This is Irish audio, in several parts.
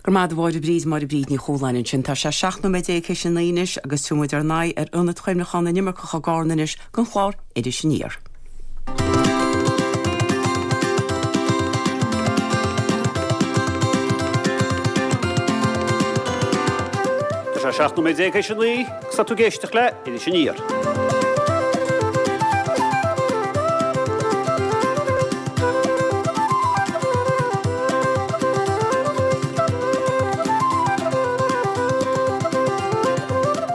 Go raibh maith agat a Mháire Bríd, Máire Bríd Ní Chualáin ansin. Tá sé 17 nóiméad théis a 9 anois agus tabharfaidh muid ár n-aghaidh ar Ionad Chuimhneacháin na nImirceach i gCarna anois don chlár Iris Aniar. Tá sé 17 nóiméad théis a 9 agus tá tú ag éisteacht le Iris Aniar.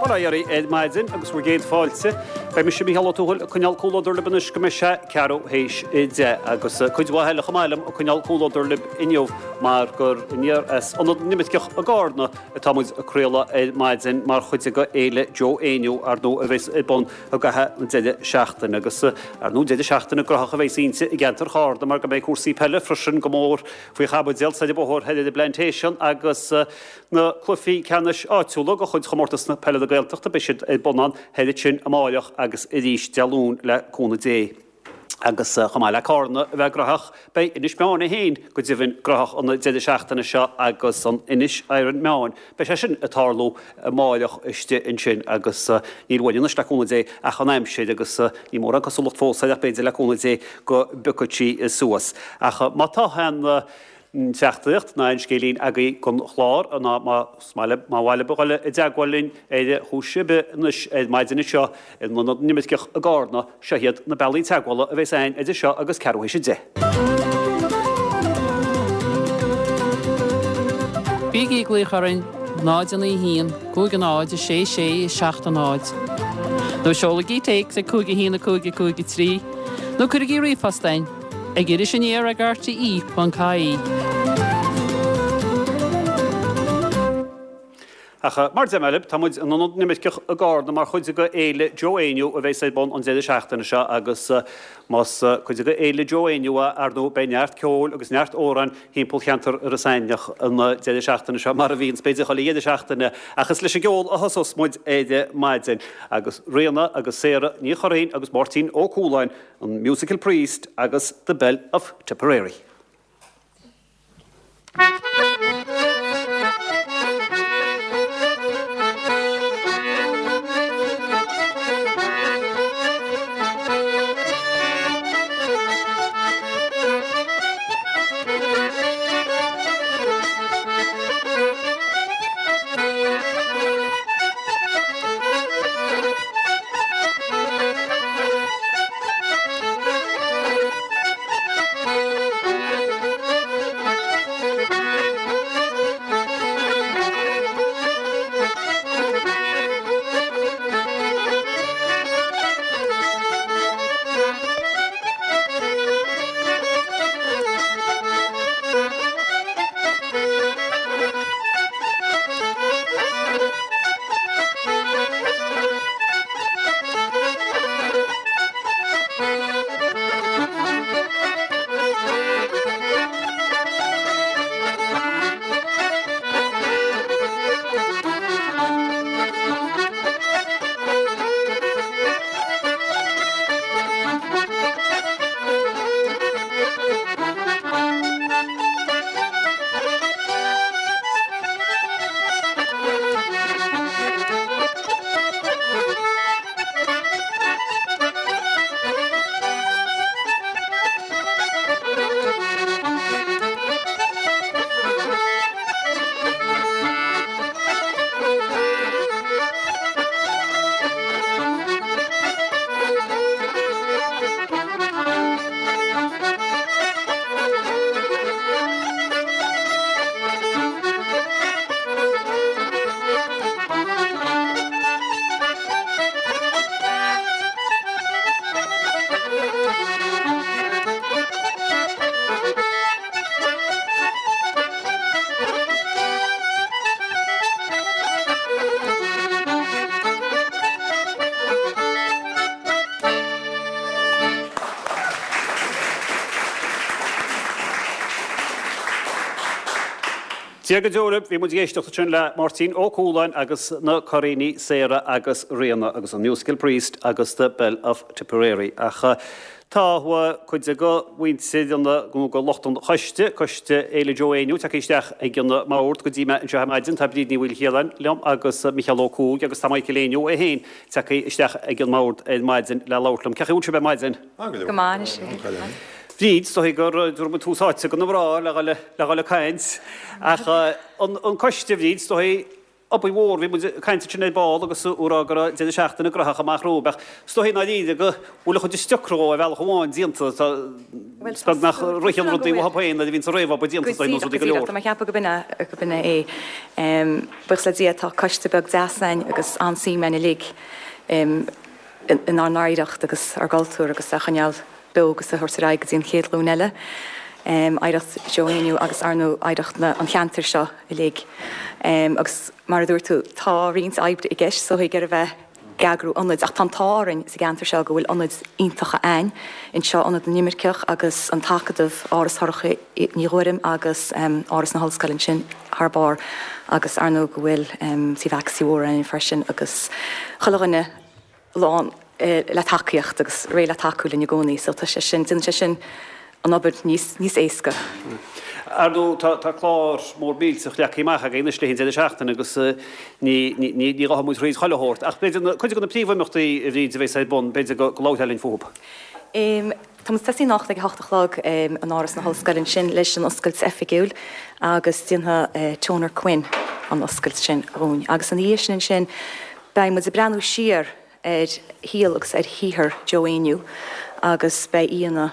Bail ó Dhia oraibh ar maidin agus bhur gcéad fáilte. Beidh mise Mícheál Ó Tuathail ag coinneáil comhluadar libh anois go mbeidh sé ceathrú théis a 10 agus cuid mhaith eile chomh maith liom ag coinneáil comhluadar libh inniu mar gur aniar as Ionad na nImirceach i gCarna atá muid ag craoladh ar maidin mar chuid de Fhéile Joe Éinniú, ar ndóigh, a bheas ar bun i gcaitheamh an deireadh seachtaine agus, ar ndóigh, deireadh seachtaine graitheach a bheas inti i gceantar Charna mar go mbeidh cúrsaí peile freisin go mór faoi chaibidil soir an bóthar thoir ar an bPlantation agus na cluichí ceannais áitiúla de chuid Chomórtas na Peile na Gaeltachta, beidh siad ar bun ann thoir ansin amáireach agus arís Dé Luain le cúnamh Dé. Agus chomh maith le Cárna a bheith graitheach, beidh Inis Meáin é féin go deimhin graitheach an deireadh seachtaine seo agus an Inis Iron Meáin, beidh sé sin ag tarlú amáireach istigh ansin agus níl uainn anois le cúnamh Dé ach an aimsir agus níl mórán cosúlacht fós air ach b'fhéidir le cúnamh Dé go bpiocfaidh sí suas. Ach má tá aon teachtaireacht ná aon scéilín agaibh don chlár ná más maith libh, má mhaith libh a dhul i dteagmháil linn ar chúis ar bith anois ar maidin anseo in Ionad na nImirceach i gCarna, seo iad na bealaí teagmhála a bheas againn idir seo agus ceathrú théis 10. Bígí ag glaoch orainn 0 9 1 5 0 6 6 7 0 nó seolaigí téacs ag 5 1 5 5 3 nó cuirigí ríomhphost chugainn ag irisaniar ag rte.ie. Ach mar deir mé libh, tá muid in Ionad na nImirceach i gCarna mar chuid de Fhéile Joe Éinniú a bheas ar bun an deireadh seachtaine seo agus más cuid de Fhéile Joe Éinniú é, ar ndóigh, beidh neart ceoil agus neart amhráin thimpeall cheantar Iorras Aithneach an deireadh seachtaine seo mar a bhíonns b'fhéidir chuile dheireadh seachtaine ach is leis an gceol a thosós muid ar maidin agus Ríona agus Sarah Ní Churraoin agus Máirtín Ó Cualáin, an Musical Priest agus The Bell of Tipperary. Dia go deo libh, bhí muid ag éisteacht ansin le Máirtín Ó Cualáin agus na Curraoinigh, Sarah agus Ríona agus an Musical Priest agus The Bell of Tipperary. Ach. Tá cuid de mhuintir an, nó de lucht an choiste, Coiste Fhéile Joe Éinniú, tagtha isteach ag an mbord go dtí mé anseo ar maidin. Tá Bríd Ní Mhaoilchiaráin liom agus Micheál Ó Cuaig agus tá Michael Éinniú é féin tagtha isteach ag an mbord ar maidin le labhairt liom. Cén chaoi a bhfuil sibh ar maidin? Go maith anois. Bríd, is dóigh gur tabharfaidh muid tús áite do na mná le dhul ag caint ach an coiste, a Bhríd, is dóigh, Obair mhór, bhí muid ag caint ansin ar ball agus ag rá go raibh deireadh seachtaine graitheach amach romhaibh ach is dóigh i ndáiríre go bhfuil an chuid is deacra dhó ar bhealach amháin déanta, tá, is beag nach ritheann rudaí uathu féin nuair a bhíonns an réamhobair déanta is dóigh nó rudaí go leor. Tá mé ag ceapadh go b'in é, go b'in é é. Buíochas le Dia tá coiste beag deas againn agus an-suim againn uilig inár n-oidhreacht agus ár gcultúr agus é a choinneáil beo agus a thabhairt ar aghaidh go dtí an chéad ghlúin eile. Oidhreacht Joe Éinniú agus ar ndóigh oidhreacht an cheantair seo uilig. Agus mar a dúirt tú, tá roinnt oibre i gceist is dóigh ar a bheith ag eagrú ionaid ach tá an t-ádh orainn sa gceantar seo go bhfuil ionaid iontacha a'ainn anseo, Ionad na nImirceach agus an tAcadamh, Áras Shorcha Ní Ghuairim agus Áras na hOllscoile ansin thar barr agus ar ndóigh go bhfuil Tí Mhaxie Mhór a'ainn freisin agus chuile dhuine lán le tacaíocht agus réidh le tacú linn i gcónaí so tá sé sin, déanann sé sin an obair níos, níos éasca. Ar ndóigh tá, tá clár mór millteach leagtha amach againn anois le haghaidh an deireadh seachtaine agus ní, ní, ní, ní ghabhfaidh muid thríd chuile shórt ach b'fhéidir na, cuid de na príomhimeachtaí a Bhríd a bheas ar bun, b'fhéidir go, go labharfá linn fúthu. Tá muid ag tosaí anocht ag a hocht a chlog in Áras na hOllscoile ansin leis an oscailt oifigiúil agus déanfaidh Toner Quinn an oscailt sin dhúinn agus ina dhiaidh sin ansin Beidh muid ag breathnú siar ar shaol agus ar shaothar Joe Éinniú agus beidh aíonna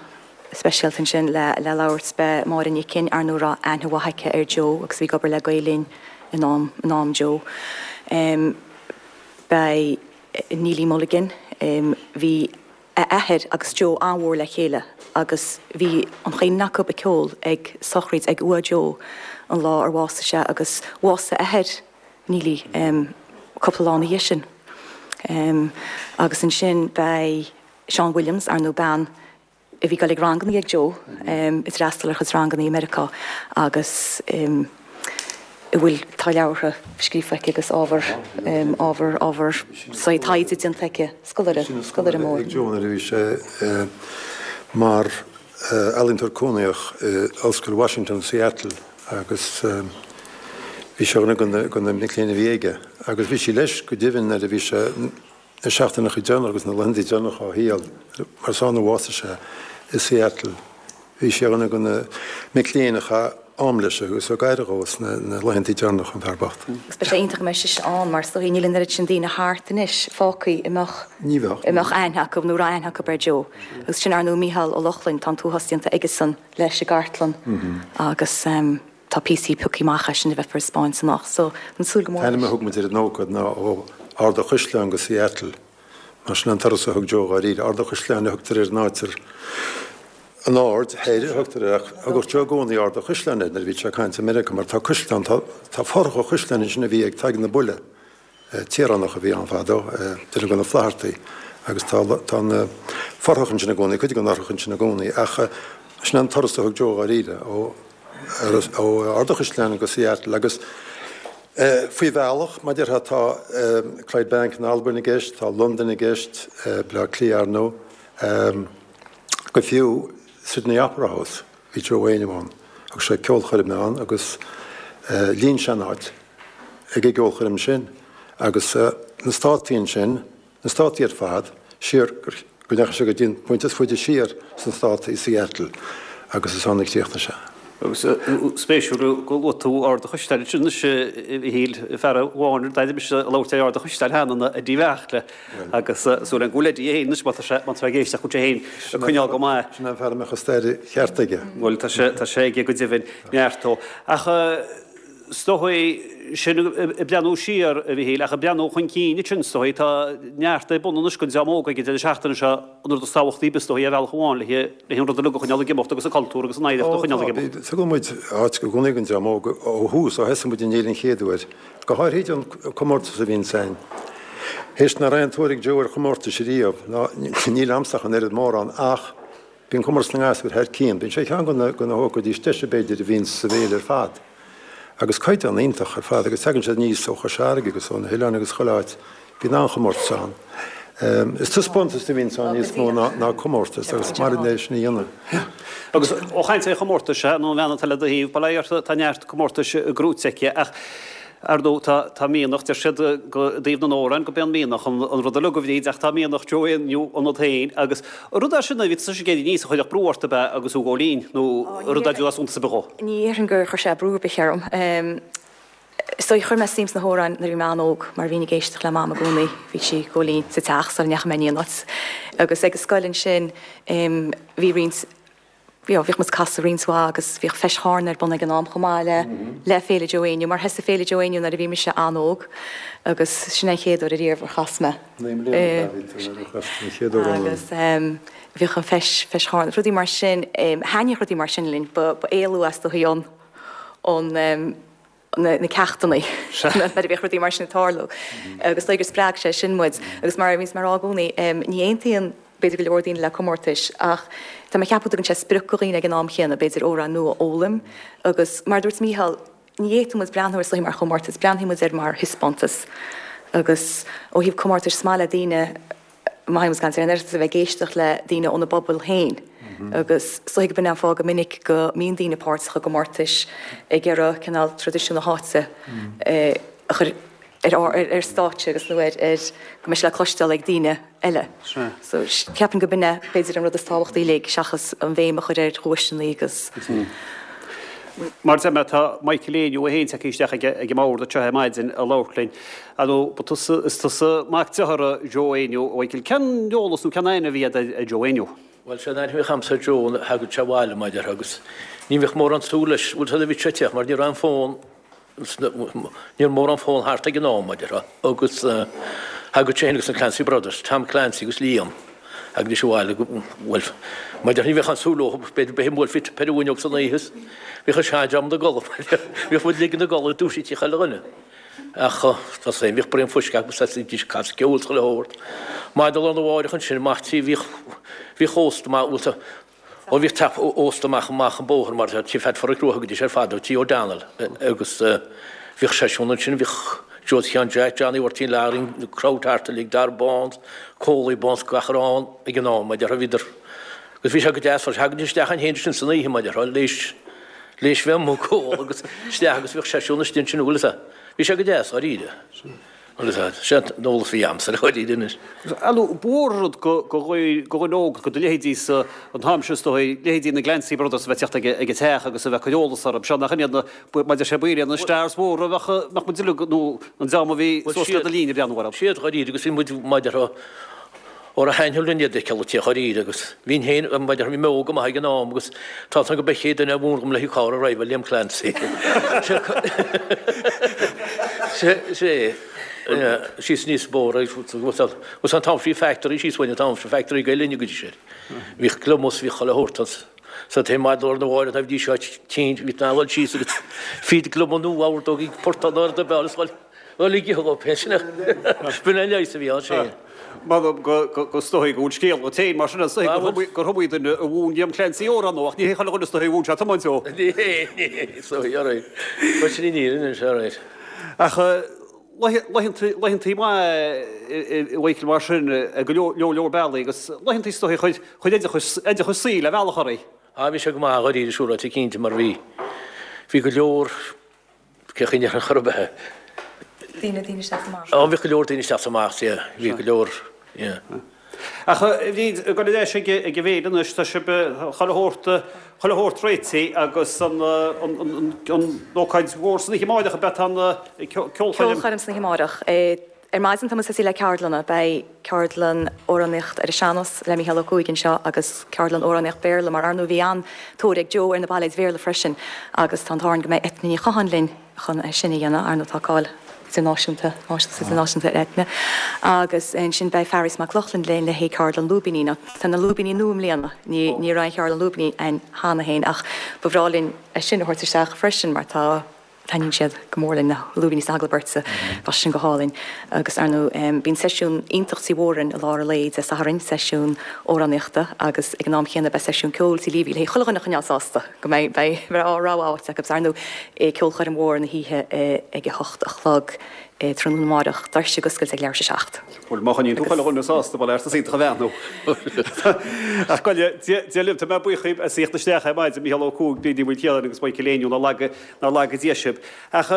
speisialta ansin le labhairt. Beidh Máire Nic Fhinn, ar ndóigh a raibh aithne mhaith aici ar Joe agus a bhí ag obair le Gael Linn in am in am Joe. Beidh Neilí Mulligan, bhí a athair agus Joe an-mhór le chéile agus bhí an chaon duine acu ag ceol ag sochraid ag uaigh Joe an lá ar bhásaigh sé agus bhásaigh a athair Neilí cúpla lá ina dhiaidh sin. Agus ansin beidh Seán Williams, ar ndóigh bean a bhí ag dul ag ranganna ag Joe, ag freastal ar a chuid ranganna i Meiriceá agus a bhfuil, tá leabhartha scríofa aici agus ábhar, ábhar, ábhar taighde déanta aici, scoláire, scoláire mór. Ag Joe nuair a bhí sé mar ealaíontóir cónaitheach i Ollscoil Washington, Seattle. agus bhí sí ar dhuine de na mic léinn a bhí aige agus bhí sí leis go deimhin nuair a bhí sé na seachtaineacha deireanacha agus na laethanta deireanacha dá shaol, mar is ann a bhásaigh sé i Seattle. Bhí sí ar dhuine de na mic léinn a chaith am leis agus a thug aire dhó sna laethanta deireanacha, an fear bocht. Agus beidh sé iontach go mbeidh sise ann mar is dóigh níl an oiread sin daoine thart anois fágtha a mbeadh Ní bheadh. a mbeadh aithne acu nó a raibh aithne acu ar Joe. Agus sin ar ndóigh Mícheál Ó Lochlainn, tá an t-uafás déanta aigesan. leis an gcartlann agus tá píosaí pioctha amach as sin a bheifear ag 'spáint anocht so tá súil go mór An t-ainm a thug muid ar an ócáid ná ó Ard a' Chaisleáin go Seattle mar sin an turas a thug Joe dháiríre. Ard a' Chaisleáin a thugtar ar an áit ar an Aird Thoir a thugtar air ach thugadh Joe i gcónaí Ard a' Chaisleáin air nuair a bhí sé ag caint i Meiriceá mar tá caisleán, tá tá fothrach an chaisleáin ansin a bhí ag Tadhg na Buille. Tíoránach a bhí ann fadó, duine de na Flaitheartaigh, agus tá tá na fothracha ansin i gcónaí, cuid de na fothracha ansin i gcónaí, ach sin an turas a thug Joe dháiríre, ó ó Ard a' Chaisleáin go Seattle agus faoi bhealach, mar déarfá, tá Clydebank in Albain i gceist, tá Londain i gceist, Baile Átha Cliath ar ndóigh, go fiú Sydney Opera House, bhí Joe Éinniú ann, thug sé ceolchoirm ann agus líon sé an áit. ag an gceolchoirm sin agus na Státaí ansin, na Státaí ar fad, siar go ndeachaigh sé go dtí an pointe is faide siar sna Státaí, Seattle, agus is ann a chríochnaigh sé. Agus spéisiúil go luaigh tú Ard a' Chaisleáin ansin anois, a Mhichíl, fear amháin ar d'éirigh mise ag labhairt ar Ard a' Chaisleáin cheana ná Eddie Bheartla agus súil agam go bhfuil Eddie é féin anois má tá sé má tá sé ag éisteacht go bhfuil sé féin ag coinneáil go maith. Sin an fear a mbeadh an stair cheart aige. Bhuel tá sé tá sé aige go deimhin, neart ó. Ach Is dóigh, sin ag breathnú siar, a Mhichíl, ach ag breathnú chun cinn ansin, is dóigh, tá neart ar bun anois don dream óg ag an deireadh seachtaine seo, an rud is tábhachtaí, is dóigh, ar bhealach amháin, le an rud uilig a choinneáil ag imeacht agus an cultúr agus an oidhreacht a choinneáil ag imeacht. Tugann muid áit i gcónaí don dream óg ó thús, ó thosaigh muid an fhéile an chéad uair, go háirithe an comórtas a bhíonns ann. Théis nach raibh aon tóir ag Joe ar chomórtais riamh, ná níl a'msa ach an oiread mórán, ach Bíonn Comórtas na nGasúr thar cionn. Bíonn sé ceann de na hócáidí is deise b'fhéidir a bhíonn sa bhféile ar fad. Agus caighdeán iontach ar fad agus tagann siad aníos ó Chois Fharraige agus ó na hoileáin agus chuile áit. Bíonn an-chomórtas ann. Is taispeántas a bhíonns ann níos mó ná comórtas agus is maith linn é sin a dhéanamh. Agus ó chaint ar chomórtais, nó an bhean atá le do thaobh, bail ó Dhia uirthi, tá neart comórtais gnóite aici ach ar ndóigh tá tá mianach, deir siad go i dtaobh na n-amhrán go b'é an mianach an rud uilig a Bhríd ach tá mianach Joe Éinniú ionat féin agus rud é sin a bhí tusa ag éirí aníos a chuirfeadh brú ort ab ea agus tú ag gabháil fhoinn nó rud é as suntas ar bith dhó? Ní dhéarfainn gur chuir sé brú ar bith orm. Is dóigh, chuir mé suim sna hamhráin nuair a bhí mé an-óg mar bhínn ag éisteacht le Mam i gcónaí, bhí sí ag gabháil fhoinn sa teach sula ndeachaigh mé in aon áit. Agus ag an scoil ansin bhí roinnt, you know, bhíodh muid ag casadh roinnt mhaith agus bhíodh Feis Charna ar bun ag an am chomh maith le le Féile Joe Éinniú mar thosaigh Féile Joe Éinniú nuair a bhí mise an-óg agus sin é an chéad uair ariamh ar chas mé. 9 mbliana a bhí tú nuair a chas tú an chéad uair Agus bhíodh an Feis, Feis Charna, rudaí mar sin, thaitníodh rudaí mar sin linn, ba ba éalú as do shaol an na ceachtanna nuair a bhíodh rudaí mar sin ag tarlú agus is dóigh gur spreag sé sin muid agus mar a bhíonns mé a rá i gcónaí ní aontaíonn b'fhéidir go leor daoine le comórtais ach tá mé ag ceapadh go dtugann sé sprioc do dhaoine ag an am chéanna b'fhéidir amhrán nua a fhoghlaim agus mar a dúirt Mícheál ní fhéadfadh muid breathnú ar is dóigh mar chomórtas breathnaíonn muid air mar thaispeántas agus ó thaobh comórtais is maith le daoine má théann muid ag caint ar an Oireachtas a bheith ag éisteacht le daoine óna bpobal féin agus is dóigh gurb in é an fáth go minic go mbíonn daoine páirteach i gcomórtais ag iarraidh cineál traidisiún na háite a chur ar stáitse agus nó ar go mbeidh sé le cloisteáil ag daoine eile. So ceapaim gurb in é b'fhéidir an rud is tábhachtaí uilig seachas an bhéim a chur ar dhuaiseanna agus. Mar a deir mé, tá Michael Éinniú é féin tagtha isteach ag an mbord anseo ar maidin a labhairt linn. Ar ndóigh, ba tusa, is tusa mac dearthára Joe Éinniú, a Mhichael. Cén eolas nó cén aithne a bhí agat ar Joe Éinniú? Bhuel, sé an aithne a bhíodh a'msa ar Joe nuair a thagadh sé abhaile, mar a déarfá, agus ní bhíodh mórán súil leis, bhuel, bhí sé ag teacht mar ní raibh an fón, ní raibh mórán fón thart ag an am, mar a déarfá, agus thagadh sé féin agus na Clancy Brothers, Tom Clancy agus Liam, thagaidís abhaile, bhuel, mar a déarfá, ní bheadh aon súil leo, b'fhéidir bheith ag bualadh ar an bhfuinneog san oíche, bhíodh an seandream ina gcodladh, bhíodh muid uilig ina gcodladh, dúisítí chuile dhuine. Ach tá sé, bhíodh braon fuisce acu agus thosaídís ag casadh ceoil is chuile shórt. Maidin lá arna mháireach ansin amach tí bhíodh, bhíodh ósta maith, bhuel, Ó bhíodh teach ósta amach amach an bóthar mar tí Phat Pháraic Rua thugaidís ar fad, tí O'Donnell agus bhíodh seisiún ansin, bhíodh Joe Sheáin Jack, Johnny Mháirtín Learaí, na crowd thart uilig, Dara Barnes, Coley Barnes, gach a raibh ann ag an am, mar a déarfá, bhíodar agus bhí sé go deas freisin, thagaidís isteach ann féin ansin san oíche mar a déarfá, léis léis bheith amuigh ag ól agus isteach agus bhíodh seisiún istigh ansin, bhfuil fhios a'd. Bhí sé go deas, dháiríre. Agus sin an t-eolas a bhí a'msa dháiríre anois. Ar ndóigh, ba mhór an rud do dhuine óg, do leithéidí-sa an t-am sin is dóigh, leithéidí na Glancy Brothers a bheith ag teacht ag an teach agus a bheith ag cur eolas orthu. Seo nach in iad na, mar a deir sé, ba iad na stars mhóra a bheadh, mbeadh muid uilig, nó an dream a bhí suas le do linn ag breathnú orthu. Siad dháiríre agus bhí muid, mar a déarfá, Ó ba thaitneamh linn iad a fheiceáil ag teacht dháiríre agus bhínn féin, mar a déarfá, bhí mé óg go maith ag an am agus tá fhios agam go b'é an chéad duine a mhúin dhom le haghaidh carr a dhriveáil Liam Clancy. Sé, síos aníos an bóthar agus an t-am sin bhí factory síos uainn an t-am sin, factory Gael Linn a gcuid sin. Bhíodh gliomas, bhíodh chuile shórt ann. Sa taobh maidin lá arna mháireach nuair a bhídís seo tinn, bhí tú in ann dul síos agus feed glioma nua a ordóg ag portán ard a bheal is dhul Bhuel, ag ithe dhó sin b'in an leigheas a bhí ann sin. M'anam go is dóigh go bhfuil scéal agat féin mar sin, is dóigh gur iomaí duine a mhúin Liam Clancy amhrán dó, ach ní hé chuile dhuine is dóigh a mhúin sé tiomáint dó. Ní hé, ní hé, is dóigh, alright. Bhuel, sin í an fhírinne anois, alright. Ach laethantaí maithe a Mhichael mar sin ag go leor leor bealaí agus laethantaí is dóigh a chuir oideachas saoil ar bhealach oraibh. Ah, bhí sé go maith, dháiríre, siúráilte cinnte, mar bhí, bhí go leor, Cé chaoi ar chor ar bith. Daoine, daoine isteach 's amach. Ó, bhíodh go leor daoine isteach 's amach, yeah, bhí go leor, yeah. Ach a Bhríd, ag dul ar ais ag an bhféile anois, tá sibh chuile shórt, chuile shórt réitithe agus an, an, an ócáid mhór san oíche amáireach, ab ea tá an ceolchoirm? Ceolchoirm san oíche amáireach. Ar maidin tá muid tosaithe le ceardlanna. Beidh ceardlann amhránaíocht ar an sean-nós le Mícheál Ó Cuaig anseo agus ceardlann amhránaíocht Béarla mar ar ndóigh bhí an-tóir ag Joe ar na bailéid Bhéarla freisin agus tá an t-ádh orainn go mbeidh Eithne Ní Chatháin linn chun é sin a dhéanamh. Ar ndóigh tá cáil idirnáisiúnta, náisiúnta is idirnáisiúnta ar Eithne. Agus ansin beidh Fearghas Mac Lochlainn linn le haghaidh ceardlann lúibíní. Now tá na lúibíní nua i mbliana, ní ní raibh aon cheardlann lúibíní ann cheana féin ach ba bhreá linn é sin a thabhairt isteach freisin mar tá Taitníonn siad go mór linn, na lúibíní sna hagallaimh beirte, bheadh sin go hálainn. Agus ar ndóigh, bíonn seisiún iontach Tí Mhórain i lár an lae Dé Sathairn, seisiún amhránaíochta agus ag an am chéanna beidh seisiún ceoil Tí Leavey le chuile dhuine a choinneáil sásta, go mbeidh beidh a rogha áite acu. Agus ar ndóigh, ceolchoirm mhór na hoíche ag a hocht a chlog. Tráthnóna amáireach, doirse ag oscailt ag leathuair tar éis a 7. Bhuel, má choinníonn tú chuile dhuine sásta, bhuel, art is iontach a bheathnú. Ach gabh i leith, Dia libh, tá mé buíoch díbh as theacht isteach ar maidin, Mícheál Ó Cuaig, Bríd Ní Mhaoilchiaráin agus Michael Éinniú, nár laga, nár laga Dia sibh. Ach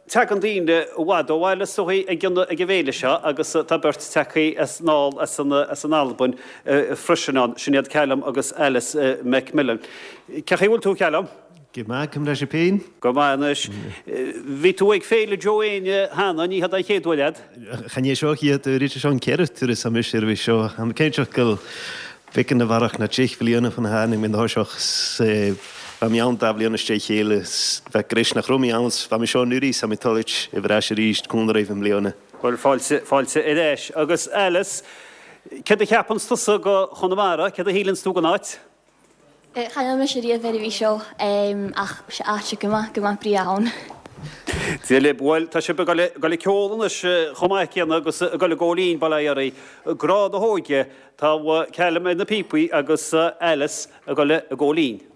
tagann daoine i bhfad ó bhaile is dóigh ag an, ag an bhféile seo agus tá beirt tagtha as anall as an, as an Albain freisin ann, sin iad Callum agus Alice McMillan. Cén chaoi a bhfuil tú, Callum? Go maith, conas tá sibh féin? Go maith anois. Bhí tú ag Féile Joe Éinne cheana, ní hé an chéad uair leat? Chan é seo an chéad uair, is é seo an ceathrú turas mise roimhe seo. Tá mé cinnte go bhfeiceann na bharrach na deich bhliana faoina tháinig mé na thoiseach 's bheadh mé ann dá bhliain is dé chéile 's bheadh gréis nach raibh mé ann 's bheadh mé seo anuraidh 's tá mé toilit i bhreis arís cúnamh roimh i mbliana. Bhuel, fáilte, fáilte ar ais. Agus Alice, céard a cheapanns tusa go Chonamara, céard a shíleanns tú den áit? Chan fheil mise riamh ar a bhí seo ach sé áit go maith go maith brí ann. Dia libh. Bhuel, tá sibh ag dul ag ceol anois chomh maith céanna agus ag dul ag gabháil fhoinn, bail ó Dhia oraibh. Grá na hóige. Tá Callum ar na píopaí agus Alice ag dul ag gabháil fhoinn.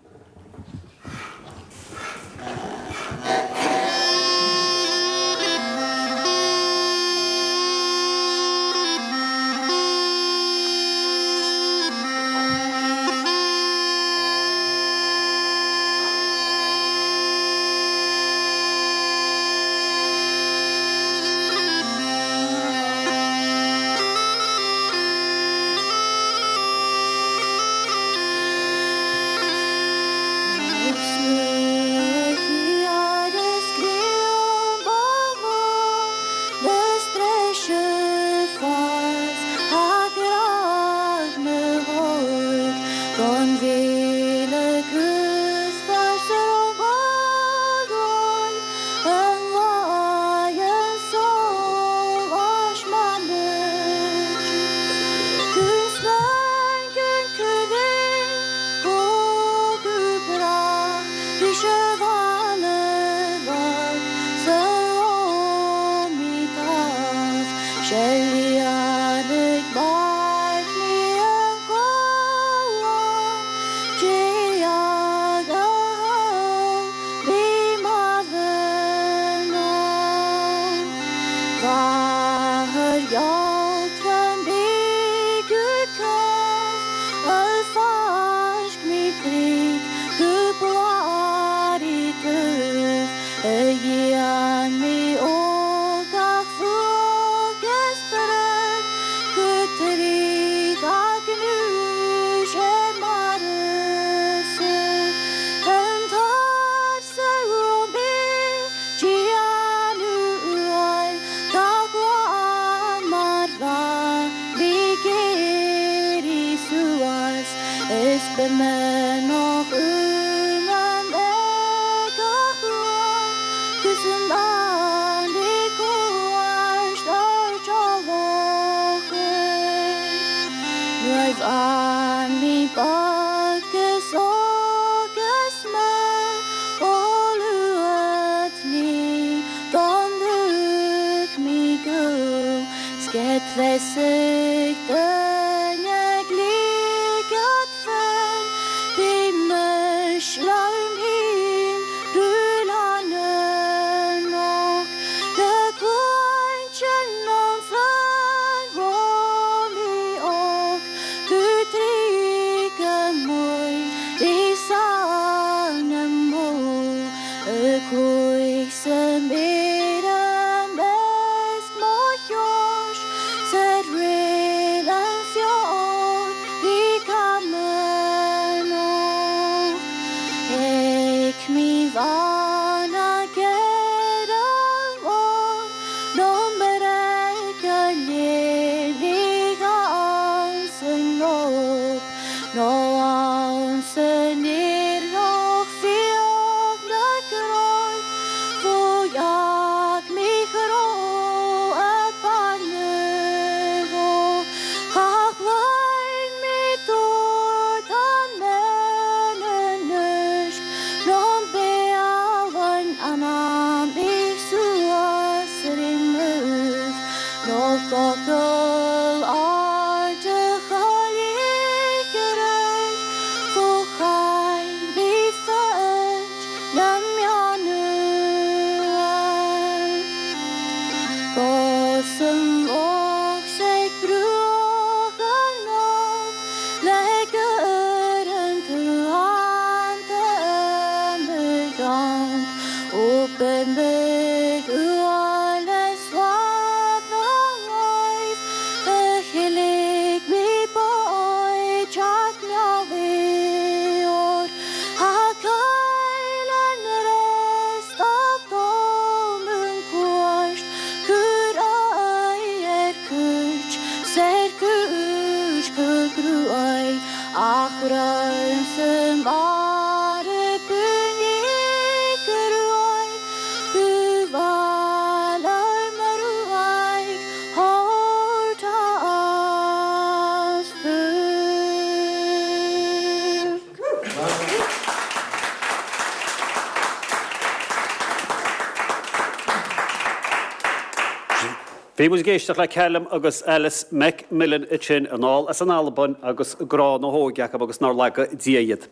Bhí muid ag éisteacht le Callum agus Alice McMillan ansin anall as an Albain agus grá na hóige acu agus nár laga Dia iad.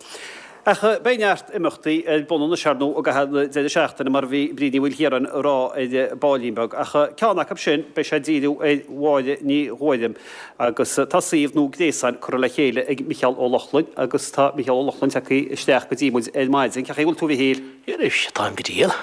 Ach beidh neart imeachtaí ar bun anois ar ndóigh i gcaitheamh na deireadh seachtaine mar a bhí Bríd Ní Mhaoilchiaráin a rá ar baillín beag. Ach ceann acu sin beidh sé ag díriú ar Mháire Ní Ghuairim agus tá suíomh nua gréasáin curtha le chéile ag Micheál Ó Lochlainn agus tá Micheál Ó Lochlainn tagtha isteach go dtí muid ar maidin. Cén chaoi a bhfuil tú a Mhichíl? Anois, táim go diail.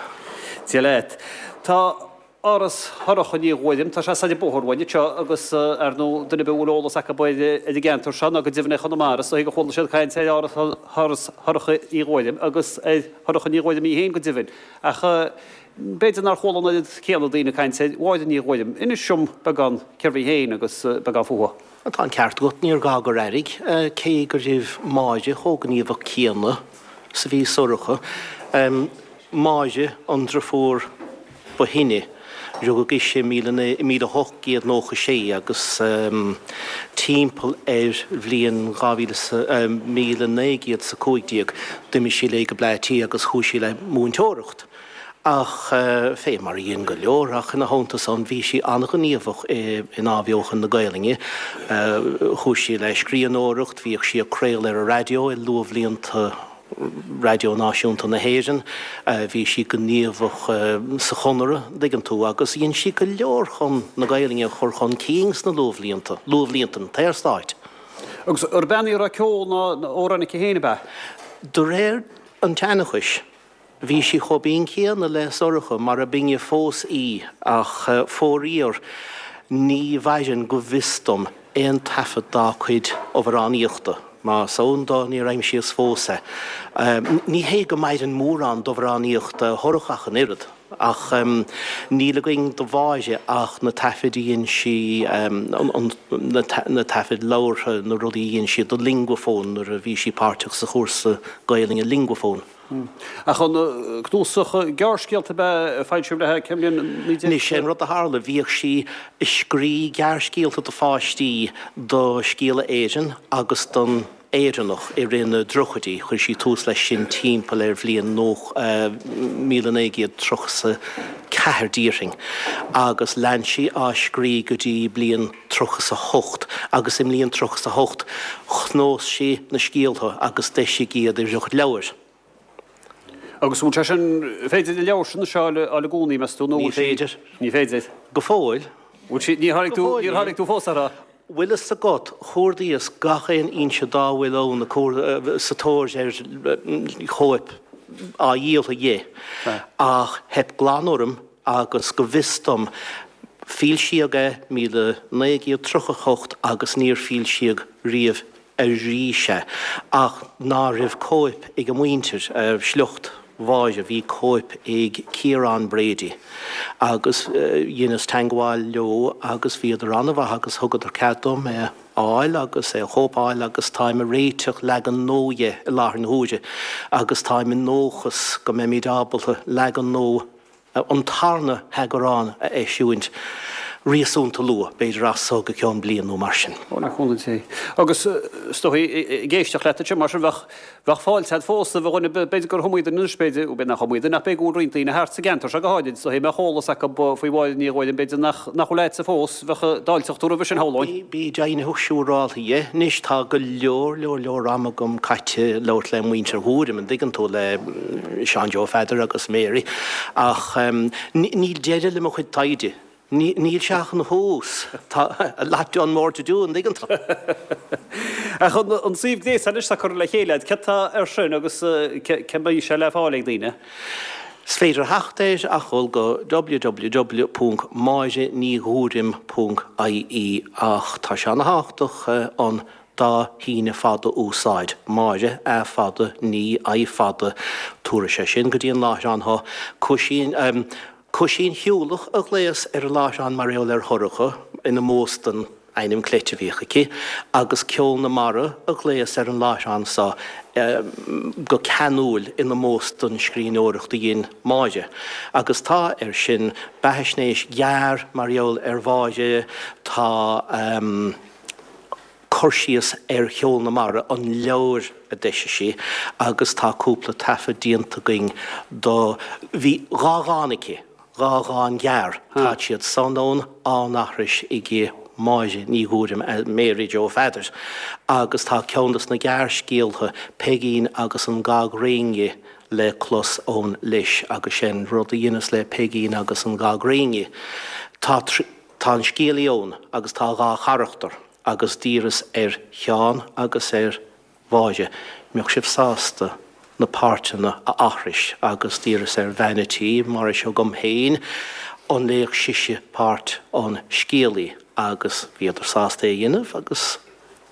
Dia leat. Tá Áras Shorcha Ní Ghuairim, tá sé soir an bóthar uainn anseo agus, ar ndóigh, duine ar bith a bhfuil eolas acu ar an gceantar seo ná go deimhin ar Chonamara, is dóigh gur chuala siad caint ar Áras Shorcha Uí Ghuairim agus ar Shorcha Ní Ghuairim í féin go deimhin. Ach b'fhéidir nár chuala an oiread céanna daoine ag caint ar Mháire Ní Ghuairim. Inis dom beagán cérbh í féin agus beagán fúithi. Tá an ceart agat, níor ghá gur airigh, cé go raibh Máire chomh gníomhach céanna 's a bhí Sorcha. Máire, an driofúr ba shine, rugadh ise i 1896 agus timpeall ar bhliain 1915 d'imigh sí léi go Bleá Cliath agus chuaigh sí le múinteoireacht. Ach fé mar a dhein go leor, ach ina theannta san bhí sí an-ghníomhach in athbheochan na Gaelainne. Chuaigh sí le scríbhneoireacht, bhíodh sí ag craoladh ar an raidió i luathbhlianta Raidió Náisiúnta na hÉireann. Bhí sí gníomhach sa Chonradh, an dtuigeann tú, agus dhein sí go leor chun na Gaelainne a chur chun cinn sna luathbhlianta, luathbhlianta an tSaorstáit. Agus ar bean í a raibh ceol ná amhráin aici féin, ab ea? De réir an tseanchais, Bhí sí chomh binn céanna le Sorcha, mar a binne fós í, ach fóraíor ní mhaireann go bhfios dom aon taifead dá cuid amhránaíochta. Más ann dó níor aimsíos fós é. Ní hé go maireann mórán d'amhránaíocht Shorcha ach an oiread, ach níl againn do Mháire ach na taifid a dhein sí, na taifid labhartha, na rudaí a dhein sí do Linguaphone nuair a bhí sí páirteach sa chúrsa Gaelainne Linguaphone. Ach an cnuasach gearrscéalta ab ea a foilsíodh léi cén bhliain? 19. Anois, sé an rud a tharla, bhíodh sí ag scrí gearrscéalta do pháistí do Scéala Éireann agus don Éireannach i rith na dtríochaidí. Chuir sí tús leis sin timpeall ar bhliain 1934 déarfainn agus lean sí á scrí go dtí bliain 38 agus i mbliain 38 chnósaigh sí na scéaltha agus d'eisigh iad i riocht leabhair. Agus an bhfuil sé sin, féidir an leabhar sin a fháil i gcónaí, meas tú, nó Ní féidir. Ní féidir. Go fóill. Bhfuil sí, níor tháinig tú, níor tháinig tú fós orthu? Bhfuil fhios agat, chuardaíos gach aon fhoinse dá bhfuil ann sa tóir ar chóip á dhíol dhe, ach theip glan orm agus go bhfios dom, foilsíodh é 1938 agus níor foilsíodh riamh arís é. Ach ná raibh cóip ag a muintir, sliocht Mháire, bhí cóip ag Ciarán Brady agus dheineas teangmháil leo agus bhíodar an-mhaith agus thugadar cead dom é a fháil agus é a chóipeáil agus táim ag réiteach leagan nua dhe i láthair na huaire agus táim i ndóchas go mbeimid ábalta leagan nua an tarna heagrán a eisiúint réasúnta luath, b'fhéidir as so go ceann bliain nó mar sin. Ó, le cúnamh Dé. Agus is dóigh, ag éisteacht leat anseo mar sin, bheadh, bheadh fáilte agat fós roimh dhuine, b'fhéidir gur iomaí duine anois, b'fhéidir, b'fhéidir nach iomaí duine, ach b'fhéidir go bhfuil roinnt daoine thart sa gceantar seo go háirid, is dóigh, a mbeadh eolas acu faoi Mháire Ní Ghuairim, b'fhéidir nach, nach bhfuil a'dsa fós, bheadh, d'fháilteodh tú roimhe sin, shamhlóinn. Bí deimhnitheach siúráltha dhe. Anois tá go leor, leor, leor ama agam caite ag labhairt le muintir Ghuairim, an dtuigeann tú, le Seán Joe Pheadair agus Mary, ach níl deireadh le mo chuid taighde. Níl sé ach ina thús. Tá a lot done more to do, an dtuigeann tú. Ach an suíomh gréasáin anois atá curtha le chéile agat, céard atá air sin agus cá mbeidh sé le fáil ag daoine? Is féidir theacht air ach dhul go www.máirenighuairim.ie ach tá sé ana-thábhachtach an dá shíneadh fada a úsáid, Máire, A fada, Ní, I fada, tabharfaidh sé sin go dtí an láithreán thú. Cuisín, Cuisín Shiúlach a ghlaos ar an láithreán mar gheall ar Shorcha, in ómós don ainm cleite a bhíodh aici, agus Ceol na Mara a ghlaos ar an láithreán so go ceanúil in ómós don scríbhneoireacht a dhein Máire. Agus tá air sin beathaisnéis ghearr mar gheall ar Mháire, tá cur síos ar Cheol na Mara, an leabhar a d'eisigh sí, agus tá cúpla taifead déanta againn do, bhí dha dhán aici, dha dhán ghearr, táid siad san ann á n-aithris ag Máire Ní Ghuairim, Mary Joe Pheadair, agus tá ceann dos na gearrscéaltha, Peigín agus an Gag Réinge, le clos ann leis, agus sé'n rud a dheineas le Peigín agus an Gag Réinge, tá, tá an scéalaí ann agus tá dha charachtar. agus d'iarras ar Sheán agus ar Mháire mbeadh sibh sásta na páirteanna a aithris agus d'iarras ar bhean a' tí, mar is agam féin, an léifeadh sise páirt an scéalaí agus bhíodar sásta é a dhéanamh agus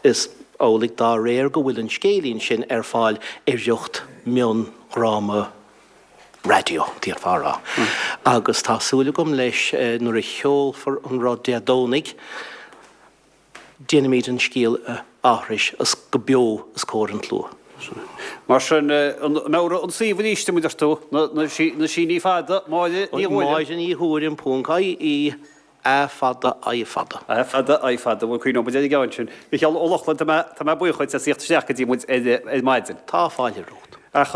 is amhlaidh dá réir go bhfuil an scéilín sin ar fáil i riocht miondhráma raidió, d'fhéadfá a rá. Agus tá súil agam leis nuair a sheolfar an rud Dé Domhnaigh, déanfaimid an scéal a aithris os go beo os comhair an tslua. Mar sin, an meabhraigh an suíomh arís dom, a deir tú, na síní fada, Máire Ní Ghuairim. Máire Ní Ghuairim ponc IE. A fada, I fada. A fada, I fada. Bhuel, cuimhneoidh muid ar an gceann sin. Micheál Ó Lochlainn, tá mé, tá mé buíoch dhuit as theacht isteach go dtí muid ar, ar maidin. Tá fáilte romhat. Ach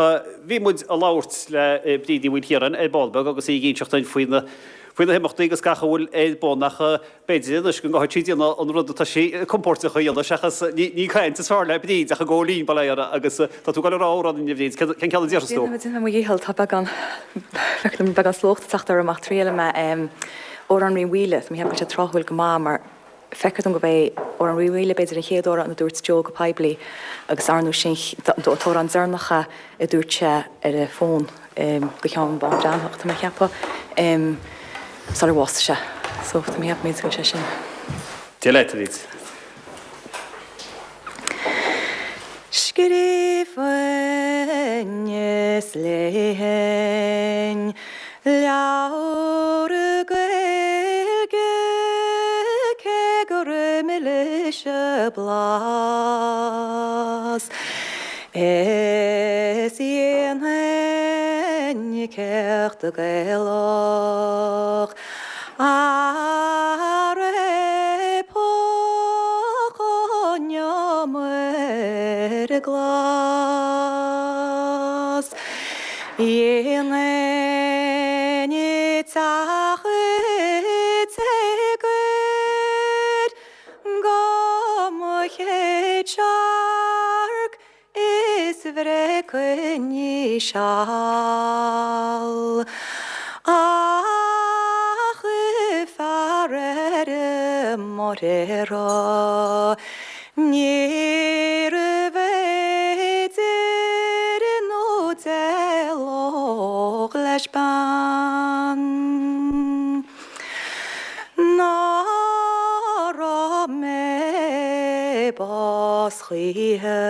bhí muid ag labhairt le Bríd Ní Mhaoilchiaráin ar ball beag agus í ag inseacht dúinn faoi na, faoi na himeachtaí agus gach a bhfuil ar bun ach b'fhéidir anois go gcaithfidh sí déanamh an rud atá sí compóirteach a dhéanamh seachas, ní, ní caint is fearr le Bríd ach ag gabháil fhoinn, bail ó Dhia uirthi, agus tá tú ag dul a rá amhrán dúinn a Bhríd, cén, cén ceann a déarfas tú? Déanfaidh mé, déanfaidh mé mo dhícheall, tá beagán, beagán slóchta ag teacht orm ach triailfidh mé. Amhrán Rí Mhaoile, tá mé ag ceapadh go bhfuil sé tráthúil go maith mar feictear dom gurb é Amhrán Rí Mhaoile b'fhéidir an chéad amhrán a dúirt Joe go poiblí agus ar ndóigh sin an t-amhrán deireanach a dúirt sé ar an bhfón do Sheán Bán Breathnach, tá mé ag ceapadh, sular bhásaigh sé. So tá mé ag ceapadh go bhfuil sé sin. Dia leat, a Bhríd. Scríobhainn is léifinn leabhar Gaeilge cé gur milis a blas is dhéanfainn céacht Gaelach Arae póg an iomaire glas, Dhéanfainn teach téagair go mo chéad searc Is bhreicfinn í seal Ach fear ar mo réire Níorbh fhéidir nó d'éalódh leis bean. Ná raibh mé bás choíche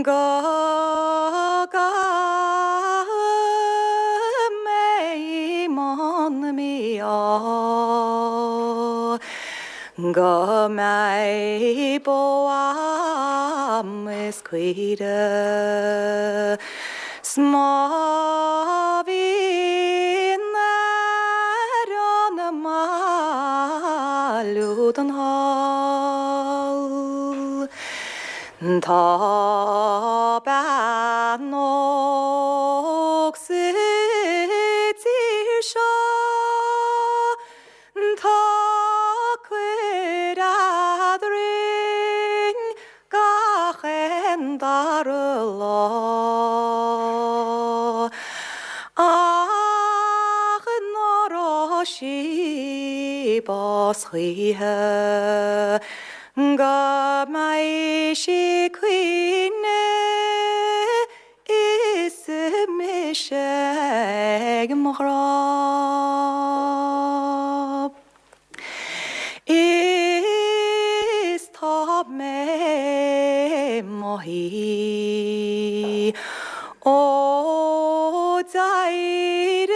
Go gcaithfidh mé i mbun mí-ádh Go mbeidh bó a'm is caoire 'S má bhíonn ar an mbaile údan thall Tá bean óg sa tír seo Tá cur eadrainn gach aon dara lá. Ach nár sí bás choíche go mbeidh sí ag caoineadh is mise ag mo ghrá. Is tá mé mo shuí ó d'éirigh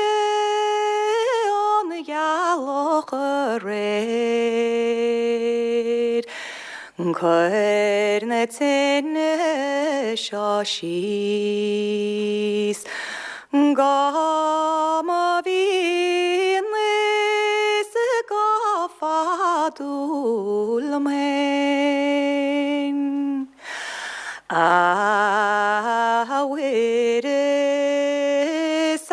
an ghealach aréir. Cuir na tine seo síos. Go mba mhín is go fadúil liom fhéin. A Mhuire 's a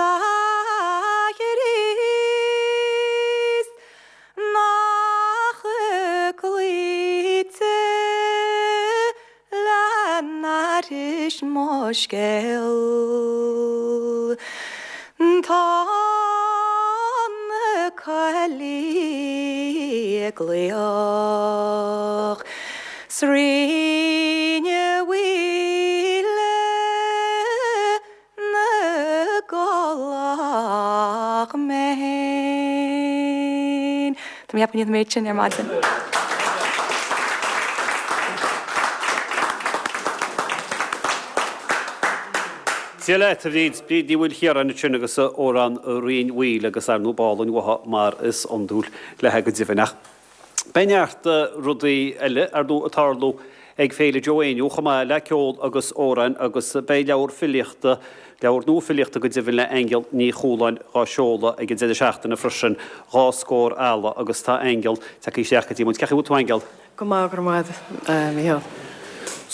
Chríost nach gcloíte Le n-aithris mo scéal tá na coiligh ag glaoch 's Rinn an Mhaoile na gcoileach mé fhéin. Tá mé ag ceapadh go ndéanfaidh an méid sin ar maidin. Dia leat, a Bhríd. Bríd Ní Mhaoilchiaráin ansin agus amhrán Rinn Mhaoile agus ar ndóigh b'álainn uaithi mar is iondúil léi go deimhin. Ach Beidh neart rudaí eile, ar ndóigh, ag tarlú ag Féile Joe Éinniú chomh maith le ceol agus amhráin agus beidh leabhar filíochta, leabhar nua filíochta go deimhin le Aingeal Ní Chualáin dhá seoladh ag an deireadh seachtaine freisin, 2 Scór Eala agus tá Aingeal tagtha isteach go dtí muid. Cén chaoi a bhfuil tú Aingeal? Go maith, go raibh maith agat, Mícheál.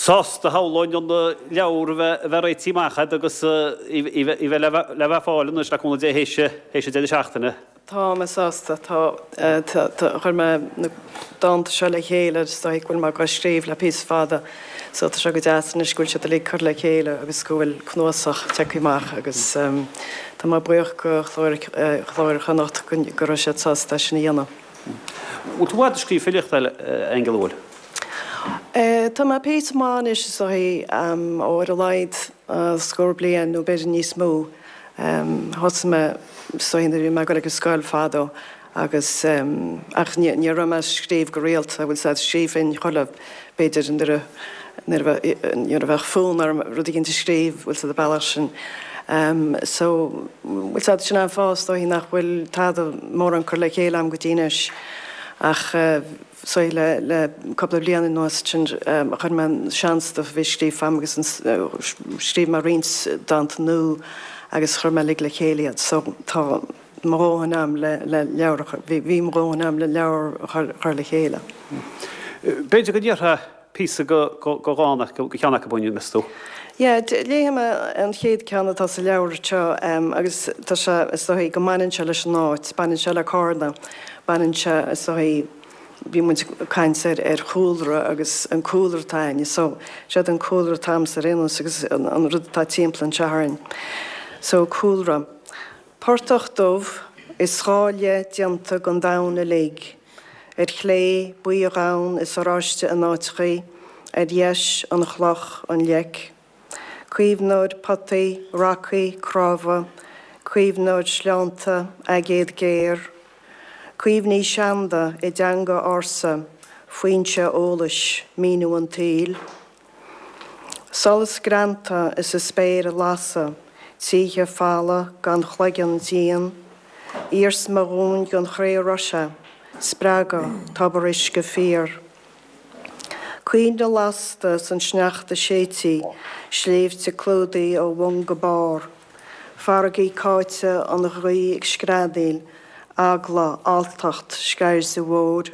Sásta shamhlóinn an leabhar a bheith réitithe amach agat agus í bheith le bheith ar fáil anois le cúnamh Dé théis an deireadh seachtaine. Tá mé sásta. Tá, tá, chuir mé na dánta seo le chéile is dóigh go bhfuil mé ag scríobh le píosa fada so tá sé go deas anois go bhfuil siad uilig curtha le chéile agus go bhfuil cnuasach tagtha amach agus tá mé buíoch go Clár Chonnacht go raibh siad sásta é sin a dhéanamh. Bhfuil tú i bhfad ag scríobh filíochta, a Aingeal, an bhfuil? Tá mé píosa maith anois is dóigh, ó ar a laghad scór bliain nó b'fhéidir níos mó. Thosaigh mé is dóigh nuair a bhí mé ag dul ag an scoil fadó agus ach ní ní raibh mé ag scríobh go rialta, bhfuil 's a'd, scríobhfainn chuile, b'fhéidir nuair a nuair a nuair a bheadh fonn orm rud éigin a scríobh, bhfuil 's a'd, an bealach sin. So, bhfuil 's a'd, sin an fáth is dóigh nach bhfuil tada mórán curtha le chéile a'm go dtí anois ach is dóigh le le cúpla bliain anuas sin chuir mé an sean-stuff a bhí scríofa a'm agus an scríobh mé roinnt dánta nua agus chuir mé uilig le chéile iad so tá mo dhóthain a'm le le leabhar a chur bhí bhí mo dhóthain a'm le leabhar a chur chur le chéile. B'fhéidir go ndéarfá píosa de dhán de cheann acu dúinn, meas tú? Yeah, léifidh mé an chéad ceann atá sa leabhar seo agus tá sé, is dóigh go mbaineann sé leis an áit, baineann sé le Cárna, baineann sé, is dóigh, bhí muid ag caint ar ar chúlra agus an cúlra atá againne, so séard an cúlra atá agamsa ar aon nós agus an rud atá timpeall anseo orainn. So cúlra. Portach dubh is 'gá leith déanta den domhan uilig. Ar chlé, buí dhonn is oráiste in áiteachaí, ar dheis, an chloch, an leic. Caomhnóir potaí, racaí, crámha, caomhnóir sleánta, aigéad géar. Cuimhní seanda i dteanga ársa, foinse eolais, míniú an tsaoil. Solas greanta is an spéir ag lasadh, títhe folamh gan chloigeann dian. Iarsma dhúinn den chré a raibh sé, spreagadh, tobar uisce fíor. Coinnle lasta 's an sneachta séidtí, sléibhte clúdaithe ó bhun go barr. Farraigí cáite, an ghaoth ag screadaíl, eagla, alltacht, sceirde mhóir.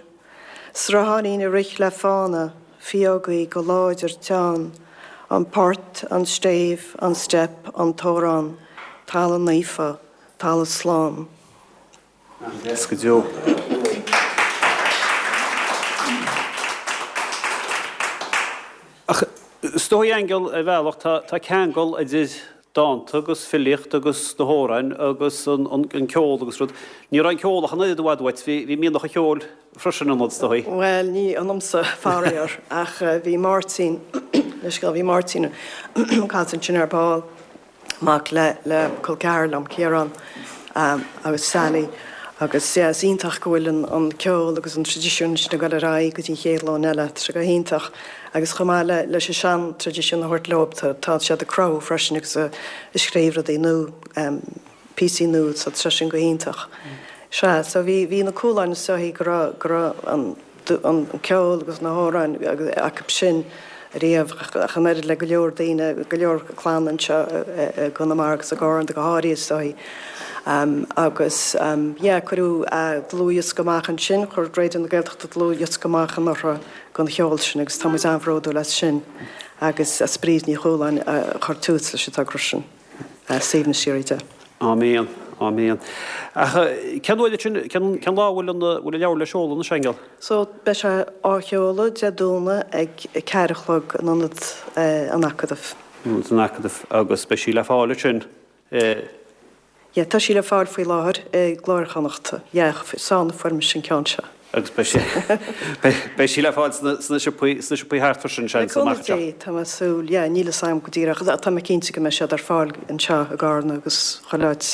Srutháinín ag rith le fána, fiógaí go láidir teann, an port, an stéibh, an steip, an t-amhrán, talamh naofa, talamh slán. An-deas go deo. Ach is dóigh, Aingeal, ar bhealach, tá ceangal idir. dánta agus filíocht agus na hamhráin agus an ceol agus rud. Ní raibh an ceol ach an oiread i bhfad uait, bhí mianach an cheoil freisin ionat, is dóigh. Bhuel, ní ionamsa, faraor, ach bhí Máirtín, leithscéal, bhí Máirtín caillte ansin ar ball, mac le le col ceathar liom, Ciarán, agus Sally agus yeah is iontach go bhfuil an an ceol agus an traidisiún sin ag dul ar aghaidh go dtí an chéad ghlúin eile, tá sé go hiontach. Agus chomh maith le leis an sean traidisiún a thabhairt leo tá tá siad ag cruthú freisin agus ag scríobh rudaí nua, píosaí nua so tá sé sin go hiontach. Sea, so bhí bhí na Cúláin is dóichí go raibh go raibh an an ceol agus na hamhráin acu sin riamh ach an oiread le go leor daoine, go leor clann anseo i gConamara agus i gCarna go háirithe is dóichí. Agus yeah cuireadh dlúthdhiosca amach ansin, chuir Raidió na Gaeltachta dlúthdhiosca amach anuraidh den cheol sin agus tá muid an-bhródúil as sin agus as Bríd Ní Chualáin a chuir tús leis an togra sin. Suaimhneas síoraí di. Áiméan, áiméan. Ach cén uair sin, cén lá a bhfuil an bhfuil an leabhar le seoladh anois, Aingeal? So, beidh sé á sheoladh Dé Domhnaigh ag 4 a chlog in Ionad an Acadaimh. Ionad an Acadaimh agus beidh sí le fáil ansin i. Yeah, tá sí le fáil faoi láthair i gClár Chonnacht. Yeah, Seán a fuair mise an ceann seo. Agus beidh sí, beidh sí le fáil sna, sna siopaí, sna siopaí thart freisin, seans, Le amach cúnamh anseo. Dé, tá mé ag súil, yeah, níl fhios agam go díreach, tá mé cinnte go mbeidh siad ar fáil anseo i gCarna agus chuile áit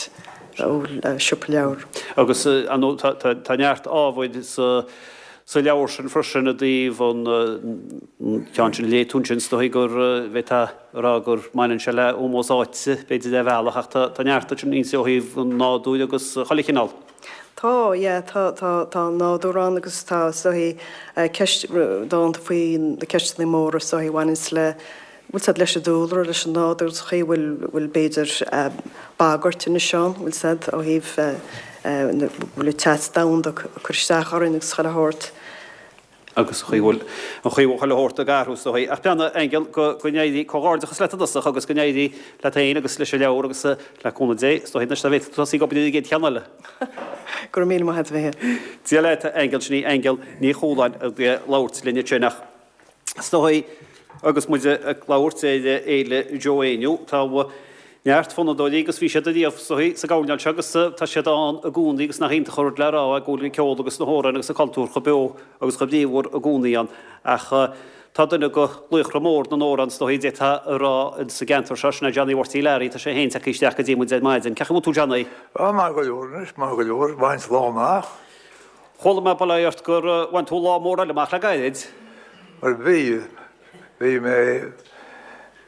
a bhfuil siopa leabhar. Agus, ar ndóigh, tá, tá, tá neart ábhair sa, sa leabhar sin freisin i dtaobh an, an ceann sin a léigh tú ansin, is dóigh gur, bhféadfá a rá gur mbaineann sé le ómós áite, b'fhéidir ar bhealach, ach tá, tá neart ansin inti ó thaobh an nádúir agus chuile chineál. Tá, yeah, tá, tá, tá an nádúr ann agus tá, is dóichí, ceist, dánta faoi na ceisteanna móra is dóichí a bhaineanns le, bhfuil 's a'd, leis an dúlra, leis an nádúr, sa chaoi a bhfuil, bhfuil b'fhéidir bagairt anois ann, bhfuil 's a'd, ó thaobh, bhfuil an teas domhanda ag cur isteach orainn agus chuile shórt. agus an chaoi a bhfuil an chaoi a bhfuil chuile shórt ag athrú is dóichí. Ach beannacht, Aingeal, go go n-éirí comhghairdeachas leat i dtosach agus go n-éirí leat féin agus leis an leabhar agus le cúnamh Dé, is dóichí anois dá bhféadfadh tú tosaí ag obair ar an gcéad cheann eile. Go raibh míle maith agat, a Mhíchíl. Dia leat, a Aingeal, sin í Aingeal Ní Chualáin ag labhairt linn ansin ach is dóichí agus muid ag labhairt ar Fhéile Joe Éinniú, tá Neart fonnadóirí agus bhí siad ariamh is dóichí sa gcoirnéal seo agus tá siad ann i gcónaí agus nach iontach an rud le rá é go bhfuil an ceol agus na hamhráin agus an cultúr chomh beo agus chomh bríomhar i gcónaí ann ach tá duine de laochra mór na n-amhrán is dóichí d'fhéadfá a rá sa gceantar seo, sin é Johnny Mharty Larry, tá sé féin tagtha isteach go dtí muid ar maidin. Cén chaoi a bhfuil tú Johnny? Á, maith go leor anois, maith go leor, bhain lá amach. Chuala mé bail ort gur bhain tú lá mór eile amach le gairid. Bhuel bhí, bhí mé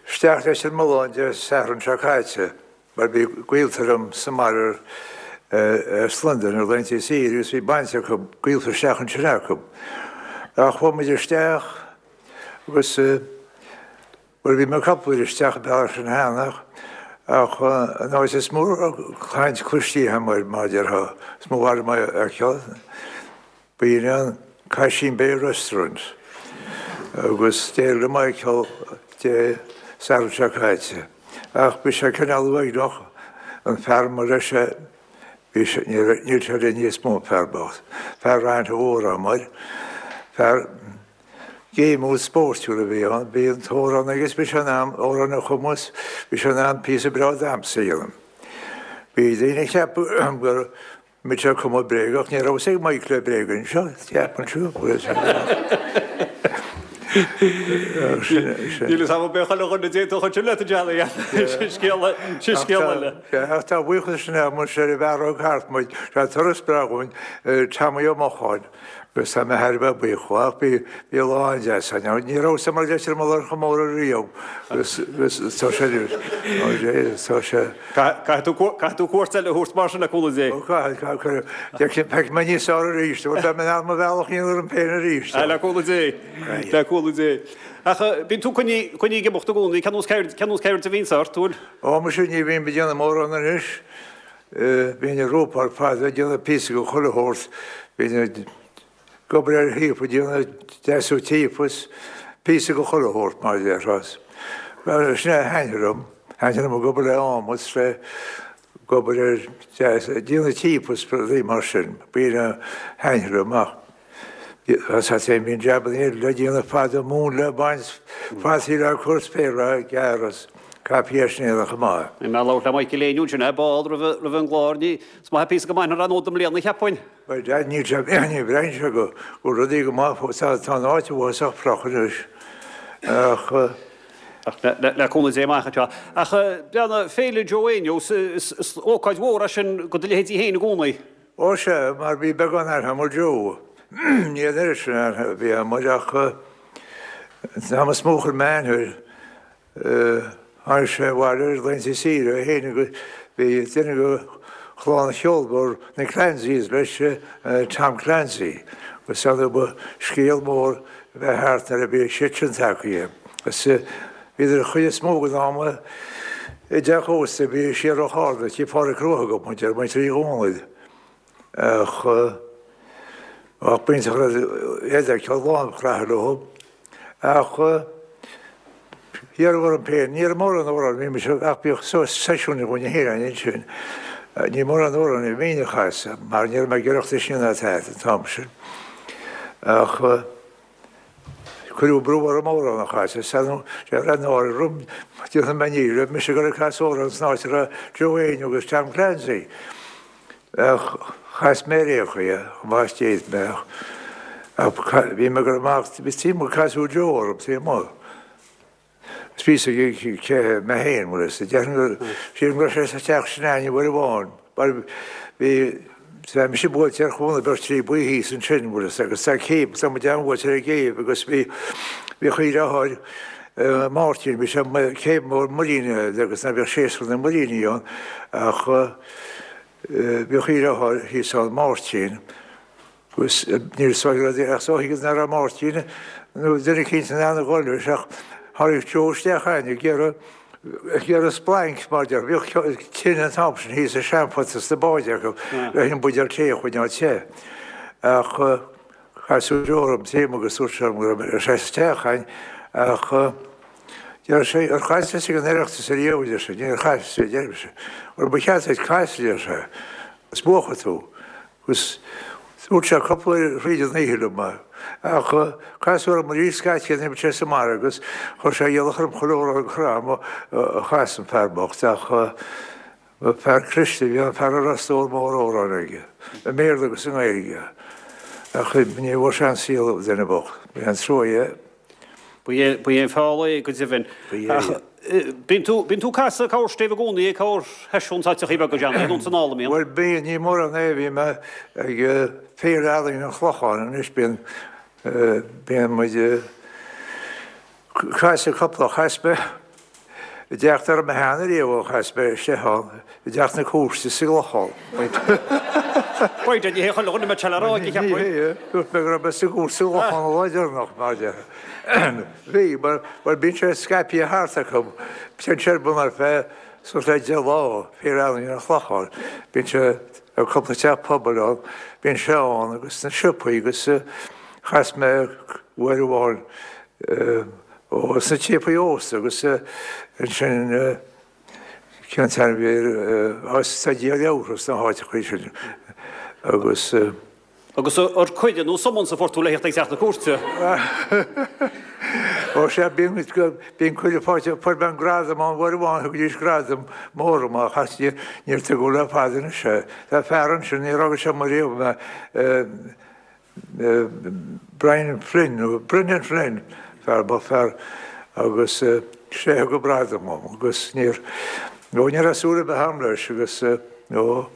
Isteach Leitir Mealláin Dé Sathairn seo caite mar bhí gaolta liom sa mbaile as Londain ar laethanta saoire agus bhí baint acu, gaolta isteach ansin acu. Ach chuaigh muid isteach agus bhuel bhí mé cúpla uair isteach an bealach sin cheana ach an áit is mó caint cloistí agam air mar a déarfá, is mó a mhaith a fheiceáil. B'in an Caisin Bay Restaurant agus d'éirigh le Michael Dé Sathairn seo caite. Ach bhí sé cineál uaigneach, an fear mar raibh sé, bhí sé, níl sé linn níos mó, an fear bocht. Fear an-mhór amuigh, fear géimiúil spóirtiúil a bhí ann. Bhí an t-amhrán aige, bhí sé in ann amhrán a chumadh, bhí sé in ann píosa breá damhsa a dhéanamh. Bhí daoine ag ceapadh gur mbeadh sé ag cumadh bréag ach ní raibh fhios ag Michael le bréag anseo, ceapann tú. Níl fhios agam an mbeadh chuile dhuine d'aontódh ansin leat a Johnny, sin scéal sin scéal eile. Ach tá buíochas sin agam ar an bhfear a thug thart muid, sé turas breá dhúinn, Tommy Ó Mocháin. Agus tá mé thar a bheith buíoch dhó, ach bhí bhí lá an-deas ann. Ní rabhas i Leitir Mealláin chomh mór ariamh agus tá sé tá sé. Caithfidh tú caithfidh tú cuairt eile a thabhairt mar sin le cúnamh Dé. Ó caithfidh caithfidh beidh mé níos fearr arís, beidh mé in ann mo bhealach a dhéanamh orm féin arís. Le cúnamh Dé, le cúnamh Dé. Ach bíonn tú coinnithe coinnithe ag imeacht i gcónaí, cén nós ceird cén nós ceird a bhíonns ort, bhfuil? Ó muise ní bhím ag déanamh mórán anois. Bhínn ag rúpáil fada, ag déanamh píosa de chuile shórt, bhínn ag obair ar thaobh, ag déanamh deasú tí is píosa de chuile shórt, mar a déarfá. Sin é a thaitnigh liom, thaitnigh liom ag obair le adhmad is le ag obair ar deas, ag déanamh tí is rudaí mar sin, b'in a thaitnigh liom ach bhíonn jabanna eile le déanamh fada, móin le baint, fataí le cur, féar le gearradh. Caithfidh é sin a dhéanamh chomh maith. Bhí mé ag labhairt le Michael Éinniú ansin, ball roimh an gclár. Ní, is maith píosa go mbainfear ann i mbliana, cheapfainn. Bhuel, Dad, níl sé, ní bhraitheann sé go bhfuil rudaí go maith fós. Tá an áit uafásach fliuch anois. Ach. Ach le cúnamh Dé amach anseo. Ach breathnaigh, Féile Joe Éinniú, is ócáid mhór é sin do do leithéidí féin i gcónaí. Ó sea, mar bhí beagán aithne agam ar Joe. Ní an oiread sin aithne a bhí agam air ach an t-am is mó a chuir mé aithne air, Tháinig sé abhaile ar laethanta saoire é féin agus bhí duine de chlann cheolmhar na Clancys leis, Tom Clancy, agus ar ndóigh ba scéal mór a bheith thart nuair a bhí siad sin tagtha. Agus bhíodar an chuid is mó den am i dteach ósta a bhí siar ó Charna, tigh Phádraic Rua a thugadh muid air, muintir Uí Dhónaill. Ach b'iontach an rud iad a fheiceáil lán craithe leo. Ach iarradh orm féin, ní raibh mórán amhrán, bhí mise, ach bhíodh seisiúin againn féin ansin. Ní mórán amhrán a bhínn a chasadh mar ní raibh mé ag Oireachtas ná tada an t-am sin. Ach cuireadh brú orm amhrán a chasadh, is raibh náire orm, déanfaidh mé ní raibh mise ag dul ag casadh amhrán san áit a raibh Joe Éinniú agus Tom Clancy. Ach chas mé ar aon chaoi é, chomh maith is d'fhéad mé, ach bhí mé ag dul amach, bhí taobh amuigh casadh Joe orm taobh amuigh. Is bhí a fhios aige cé mé féin, bhfuil fhios a'd, déarfainn gur, sílim go raibh sé sa teach sin a'inn uair amháin, mar bhí, tá mise buailte ar chúnamh beirt trí buí thíos ansin, bhfuil fhios a'd, agus tá céibh, tá muid an-bhuailte ar an gcéibh agus bhí, bhí a dheartháir, Máirtín, bhí sé, céibh mór muiríní agus ná bíodh séasúr na muiríní ann ach, Bhíodh a dheartháir thíos ann, Máirtín, agus níl fhios agam ach is dóigh nach raibh Máirtín nó duine eicínt in ann a dhul leis ach tháinig Joe isteach a'inn ag iarraidh ag iarraidh splanc mar deir bhíodh tine an t-am sin thíos i seanphota sna báid acu le an buidéal tae a choinneáil te. Ach casadh Joe orm taobh agus dúirt sé liom go raibh sé sa teach a'inn ach Deir sé, Ar chas tusa ag an Oireachtas ariamh, a deir sé, níor chas, a deir mise. Bhuel, ba cheart duit casadh, a deir sé, agus buafaidh tú. Agus dúirt sé cúpla uair thríd an oíche liom é. Ach casadh orm arís scaití an imir sé sa mbarr agus chuir sé iallach orm chuile amhrán go raibh agam a chasadh an fear bocht ach Ba fear cliste a bhí ann, fear a raibh stór mór amhrán aige, i mBéarla agus i nGaeilge. Ach ní bhfuair sé an saol, an duine bocht. Ba é an trua é. Ba é an feall é, go deimhin. Ba é. Ach bíonn tú, bíonn tú ag casadh corrstéibh i gcónaí, corrsheisiún sa teachaí beag, a Johnny, nó san am a mbíonn? Bhuel, bíonn, ní mórán é, bhí mé ag Féile Ealaíon an Chlocháin anois, bíonn, bíonn muid ag casadh cúpla, chas mé i dteach dá raibh mé cheana riamh ó chas mé isteach ann, i dteach na cúirte sa gClochán. B'fhéidir, ní hé chuile dhuine a mbeadh sé le rá aige, cheapfainn. Ní hé, dúirt mé go raibh mé sa gcúirt sa gClochán an lá deireanach, mar deir. Bhí, mar, mar bíonn sé scaipthe thart acu, bíonn sé ar bun ar feadh suas le 10 lá, Féile Ealaíon an Chlocháin, bíonn sé ar cúpla teach pobail ann, bíonn sé ann agus sna siopaí agus chas mé uair amháin ó sna siopaí ósta agus ansin cén t-ainm a bhí air, tá díol leabhartha sna háiteachaí sin agus. Agus ar cuireadh nó summons a fuair tú le theacht ag teach na cúirte? Ó sea, bíonn, bíonn cuireadh faighte, fuair mé an gradam ann uair amháin, thugaidís gradam mór dom ach níor tugadh le fada anois é. Tá fear ansin, níor fhága sé amuigh riamh mé, Brian Flynn, nó Brendan Flynn, fear ba fear agus sé a thug an gradam dom agus níor, nó ní raibh súil ar bith agam leis agus nó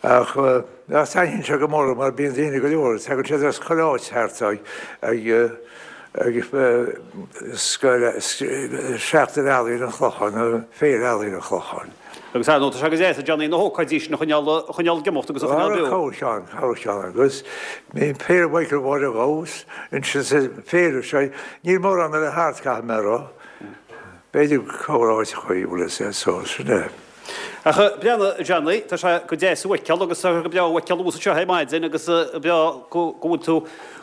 ach ach taitníonn sé go mór mar bíonn daoine go leor, tagann siad as chuile áit thart ag ag ag scoil Seachtain Ealaíon an Chlocháin nó Féile Ealaíon an Chlocháin. Agus ar ndóigh, tá sé go deas, a Johnny, na hócáidí sin a choinneáil, a choinneáil ag imeacht agus a choinneáil beo. Corrcheann, corrcheann agus bhí Féile Mhichael Mháire Ghabhas ansin sa féile seo, níl mórán eile thart, caithfidh mé a rá. B'fhéidir corr áiteachaí, bhfuil fhios a'd, so sin é. Ach breathnaigh, a Johnny, tá sé go deas thú a fheiceáil agus tá sé go breá thú a fheiceáil thuas anseo ar maidin agus breá go bhfuil tú,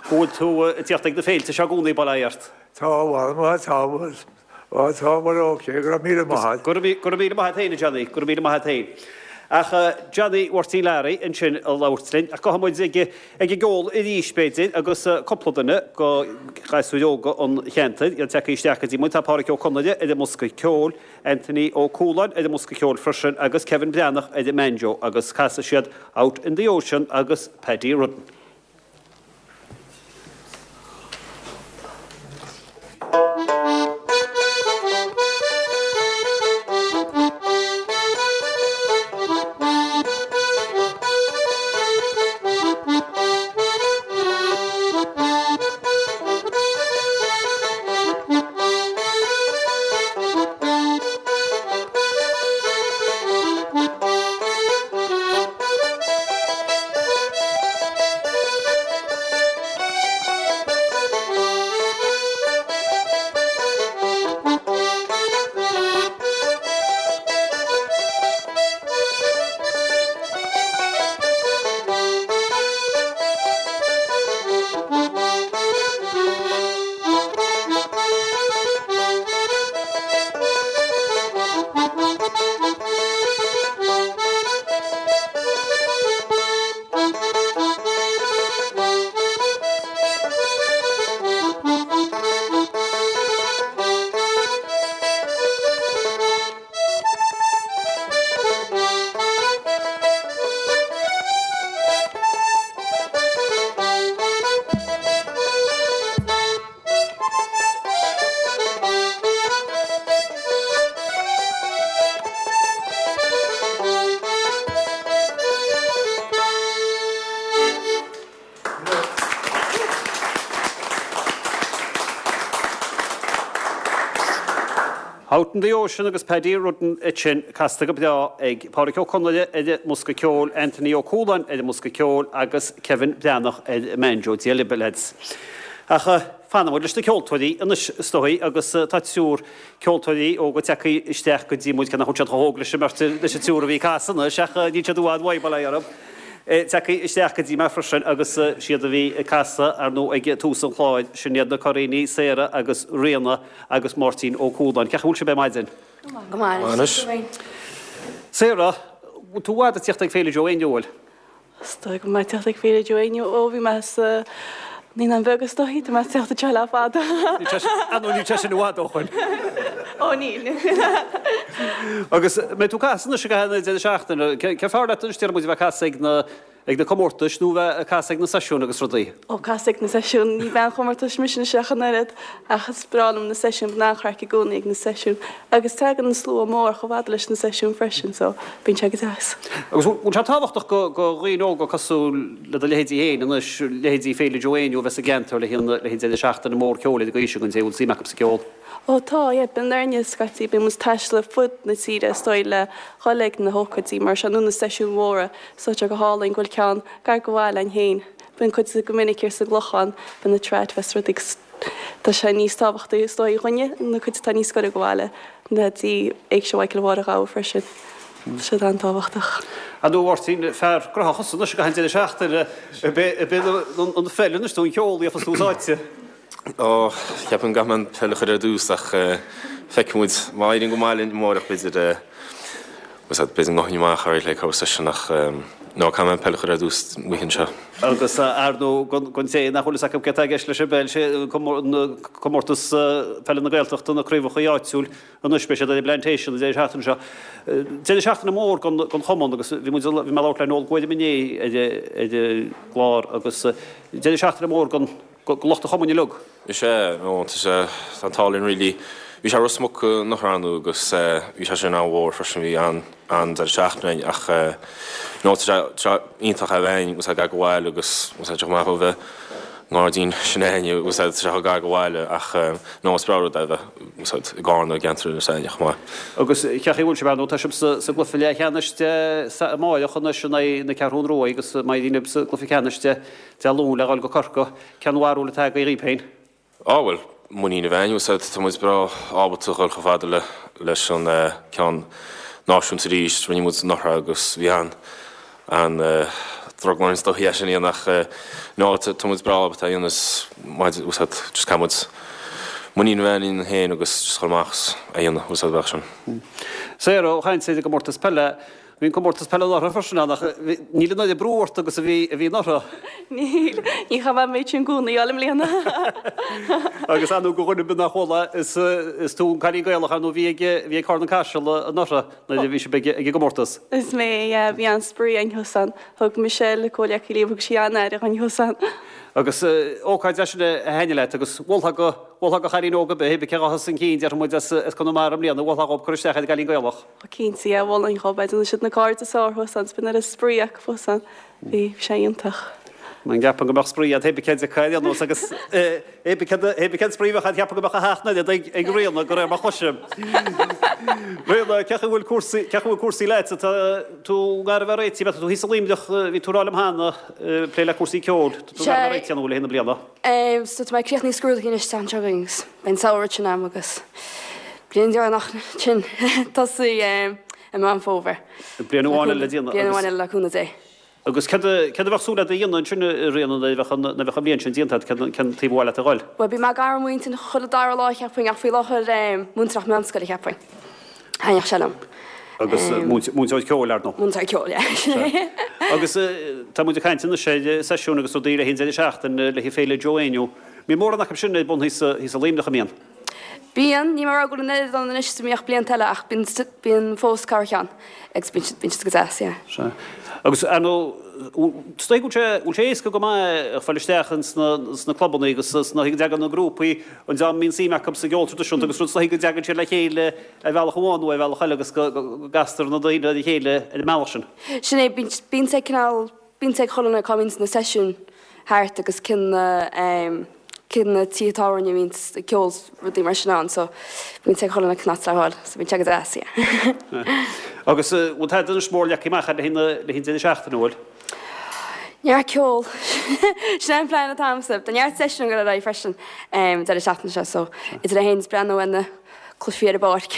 go bhfuil tú ag tíocht ag na féilte seo i gcónaí, bail ó Dhia ort. Tá, bhuel, tá. Á tá, bhuel ok, go raibh míle maith a't. Go raibh míle maith a't féin a Johnny, go raibh míle maith a't féin. Ach Johnny Mháirtín Learaí ansin ag labhairt linn. Ach gabhfaidh muid ag an gceol arís b'fhéidir agus cúpla duine de ghasúir óga an cheantair, iad tagtha isteach go dtí muid. Tá Pádhraic Ó Conaire ar an mbosca ceoil, Anthony Ó Cualáin ar an mbosca ceoil freisin agus Kevin Breathnach ar an mbanjo agus casfaidh siad Out in the Ocean agus Paddy Rudden. Out in the Ocean agus Paddy Rudden ansin casta go breá ag Pádraic Ó Conaire ar an mbosca ceoil, Anthony Ó Cualáin ar an mbosca ceoil agus Kevin Breathnach ar an mbanjo. Dia libh, a leaids. Ach fanfaidh muid leis na ceoltóirí anois is dóigh agus tá triúr ceoltóirí óga tagtha isteach go dtí muid, cé nach bhfuil siad chomh hóg leis an mbeirt, leis an triúr a bhí ag casadh anois ach níl siad i bhfad uaidh, bail ó Dhia orthu. Tagtha isteach go dtí mé freisin agus siad a bhí ag casadh, ar ndóigh, ag tús an chláir, sin iad na Curraoiní, Sarah agus Ríona agus Máirtín Ó Cualáin. Cén chaoi a bhfuil sibh ar maidin? Go maith anois. Sarah, bhfuil tú i bhfad ag tíocht ag Féile Joe Éinniú, bhfuil? Is dóigh go mbeidh teacht ag Féile Joe Éinniú ó bhí mé sa Naíonáin Bheaga is dóigh, tá mé ag teacht anseo le fada. Ar ndóigh níl sé sin i bhfad ó shoin. Ó níl. Agus mbeidh tú ag casadh anois i gcaitheamh na deireadh seachtaine, cé fearr leat anois déarfaidh muid a bheith ag casadh ag na ag na comórtais nó a bheith ag casadh ag na seisiúin agus rudaí? Ó casadh ag na seisiúin, ní bean chomórtais mise anois ach an oiread ach is breá liom na seisiúin, bíonn an-chraic i gcónaí ag na seisiúin. Agus tagann an slua mór chomh fada leis na seisiúin freisin so bíonn sé go deas. Agus bhfuil sé tábhachtach go dhaoine óga cosúil le do leithéidí féin anois, leithéidí Féile Joe Éinniú a bheith sa gceantar le haghaidh an deireadh seachtaine mór ceoil ar an gcaoi sin don té a bhfuil suim acu sa gceol? Ó tá, yeah, bíonn orainne scaití, bíonn muid ag taisteal ar fud na tíre is dóigh le dhul ag na hócáidí mar seo nó na seisiúin mhóra so tá sé go hálainn go bhfuil ceann gar go bhaile againn féin. Bíonn cuid go minic ar sa gClochán, bíonn na trad fest rudaí agus Tá sé níos tábhachtaí is dóigh dhúinne, na cuid atá níos gaire go bhaile, ná dtí Éigse Mhichael Mháire Ghabha freisin. Tá siad an-tábhachtach. Ar ndóigh, a Mháirtín, fear graitheach thusa anois i gcaitheamh an deireadh seachtaine, ab é an pheil anois nó an ceol a gheofas tús áite? Ó, ceapaim go gcaithfidh mé an peil a chur ar dtús ach feicfidh muid. Má éiríonn go maith linn amárach b'fhéidir, B'fhéidir go ngabhfainn amach ar le cabhair seisean ach no, caithfidh mé an peil a chur ar dtús an oíche seo. Agus ar ndóigh don té nach bhfuil fhios acu céard atá i gceist leis an bpeil, sé comórtas peile na Gaeltachta, na craobhacha áitiúil anois, beidh siad ar an bPlantation an deireadh seachtaine seo. Deireadh seachtaine mór don chumann agus bhí muid, bhí mé ag labhairt le Noel Guairim inné ar an gclár agus deireadh seachtaine mór don lucht an chumainn uilig. Is ea, nó tá sé, tá an t-ádh linn really. Bhí sé i Ros Muc anuraidh ar ndóigh agus bhí sé sin an-mhór freisin, bhí an-deireadh seachtaine againn ach no tá sé, tá sé iontach a bheith againn agus gar go bhaile agus tá sé chomh maith ó bheith i ngairdín s'againne agus tá sé chomh gar go bhaile ach no is breá rud é a bheith i gCarna i gceantar Inis Aithne chomh maith. Agus cén chaoi a bhfuil sibh ar ndóigh, tá sibh sa gcluiche leathcheannais Dé amárach anois in aghaidh na Ceathrún Rua agus má éiríonn libh sa gcluiche ceannais Dé Luain le dhul go Corcaigh. Cén bharúil atá agaibh dhaoib féin? Á bhuel, muinín a bheith againn, bhfuil tá muid breá ábalta dhul chomh fada le leis an ceann náisiúnta arís. Rinne muid anuraidh agus bhí an an drogall orainn is dóigh é sin a dhéanamh ach no tá muid breá ábalta é a dhéanamh is maidir bhfuil just caithfidh muid muinín a bheith againn féin agus just dhul amach is é a dhéanamh bhfuil bheadh sin. Sarah, ó chaint ar an gcomórtas peile. Bhí an comórtas peile anuraidh freisin ann ach níl an oiread brú ort agus a bhí a bhí anuraidh. Níl, ní chaithfidh mé an méid sin gúnaí a fháil i mbliana. Agus ar ndóigh do dhuine ar bith nach bhfuil is is tú an cailín Gaelach ar ndóigh a bhí ag bhí ag Carna Caiseal anuraidh nuair a bhí sibh ag ag an gcomórtas. Is mé, yeah, bhí an-spraoi againn thuas ann. Thug Michelle, comhghleacaí liom, thug sí an-aire dhúinn thuas ann. Agus ócáid é sin a thaitnigh leat agus mholfá go mholfá do chailín óg ar bith, cibé cé a ghabhfas chun cinn déarfaidh muid as as Conamara i mbliana, mholfá dhóibh cur isteach ar an gCailín Gaelach. Ó cinnte, yeah, mholfainn dhóibh é. Déanann siad na cairde is fearr thuas ann, 's bíonn oiread spraoi acu thuas ann. Bhí sé iontach. An gceapann go mbeadh spraoi agat pé cé acu ar aon nós agus pé cén spraoi a bheadh agat cheapfainn go mbeadh a sheacht n-oiread ag Ríona de réir mar a chloisim. Ríona, cén chaoi a bhfuil cúrsaí, cén chaoi a bhfuil cúrsaí leat? Tá tú gar a bheith réitithe, tá tú thíos i Luimneach, bhí tú ag rá liom cheana, ag plé le cúrsaí ceoil. Tá tú gar a bheith réitithe nó le haghaidh na bliana? So tá mé ag críochnú scrúduithe anois an tseachtain seo chugainn agus beidh an samhradh tinn a'm agus bliain deireanach tinn tosaí i Meán Fómhair. Bliain amháin eile le déanamh Bliain amháin eile le cúnamh Dé. Agus céard a céard a bheadh súil agat a dhéanamh ansin a Ríona nuair a bheadh an nuair a bheadh an bhliain sin déanta agat, cén cén taobh ar mhaith leat a dhul? Bhuel bhí mé ag iarraidh múineadh chuile dara lá cheapfainn ach faoi láthair múinteoireacht meánscoile cheapfainn. Thaitneodh sé liom. Agus múinteoir ceoil, ar ndóigh. Múinteoir ceoil, yeah. Agus tá muid ag caint anois ar seisiúin agus rudaí le haghaidh an deireadh seachtaine, le haghaidh Féile Joe Éinniú. Mbíonn mórán acu sin ar bun thíos i Luimneach, an mbíonn? Bíonn. Níl mé ag rá go bhfuil an oiread ann anois is a bhíodh blianta eile ach bíonn, bíonn fós corrcheann agus bíonn siad, bíonn siad go deas, yeah. Sea. Agus ar ndóigh, is dóigh go bhfuil sé, bhfuil sé éasca go maith fáil isteach ins na, sna clubanna agus sna, go dtagann na grúpaí, an dream a mbíonn suim acu sa gceol traidisiúnta agus rud, is dóigh go dtagann siad le chéile ar bhealach amháin nó ar bhealach eile agus go gcastar na daoine ar a chéile ar an mbealach sin. Sin é, bíonn sé cineál, bíonn sé ag chuile dhuine cá mbíonns na seisiúin thart agus cinn na, cinn na tithe tábhairne a bhíonns ag ceol 's rudaí mar sin ann so bíonn sé ag chuile dhuine cén áit le dhul so bíonn sé go deas, yeah. Agus bhfuil tada anois mór leagtha amach agat le haghaidh an deireadh seachtaine, an bhfuil? Neart ceoil. Sin é an plean atá agamsa. Tá neart seisiún ag dul ar aghaidh freisin deireadh seachtaine seo so idir é féin is breathnú ar na cluichí ar an bpáirc.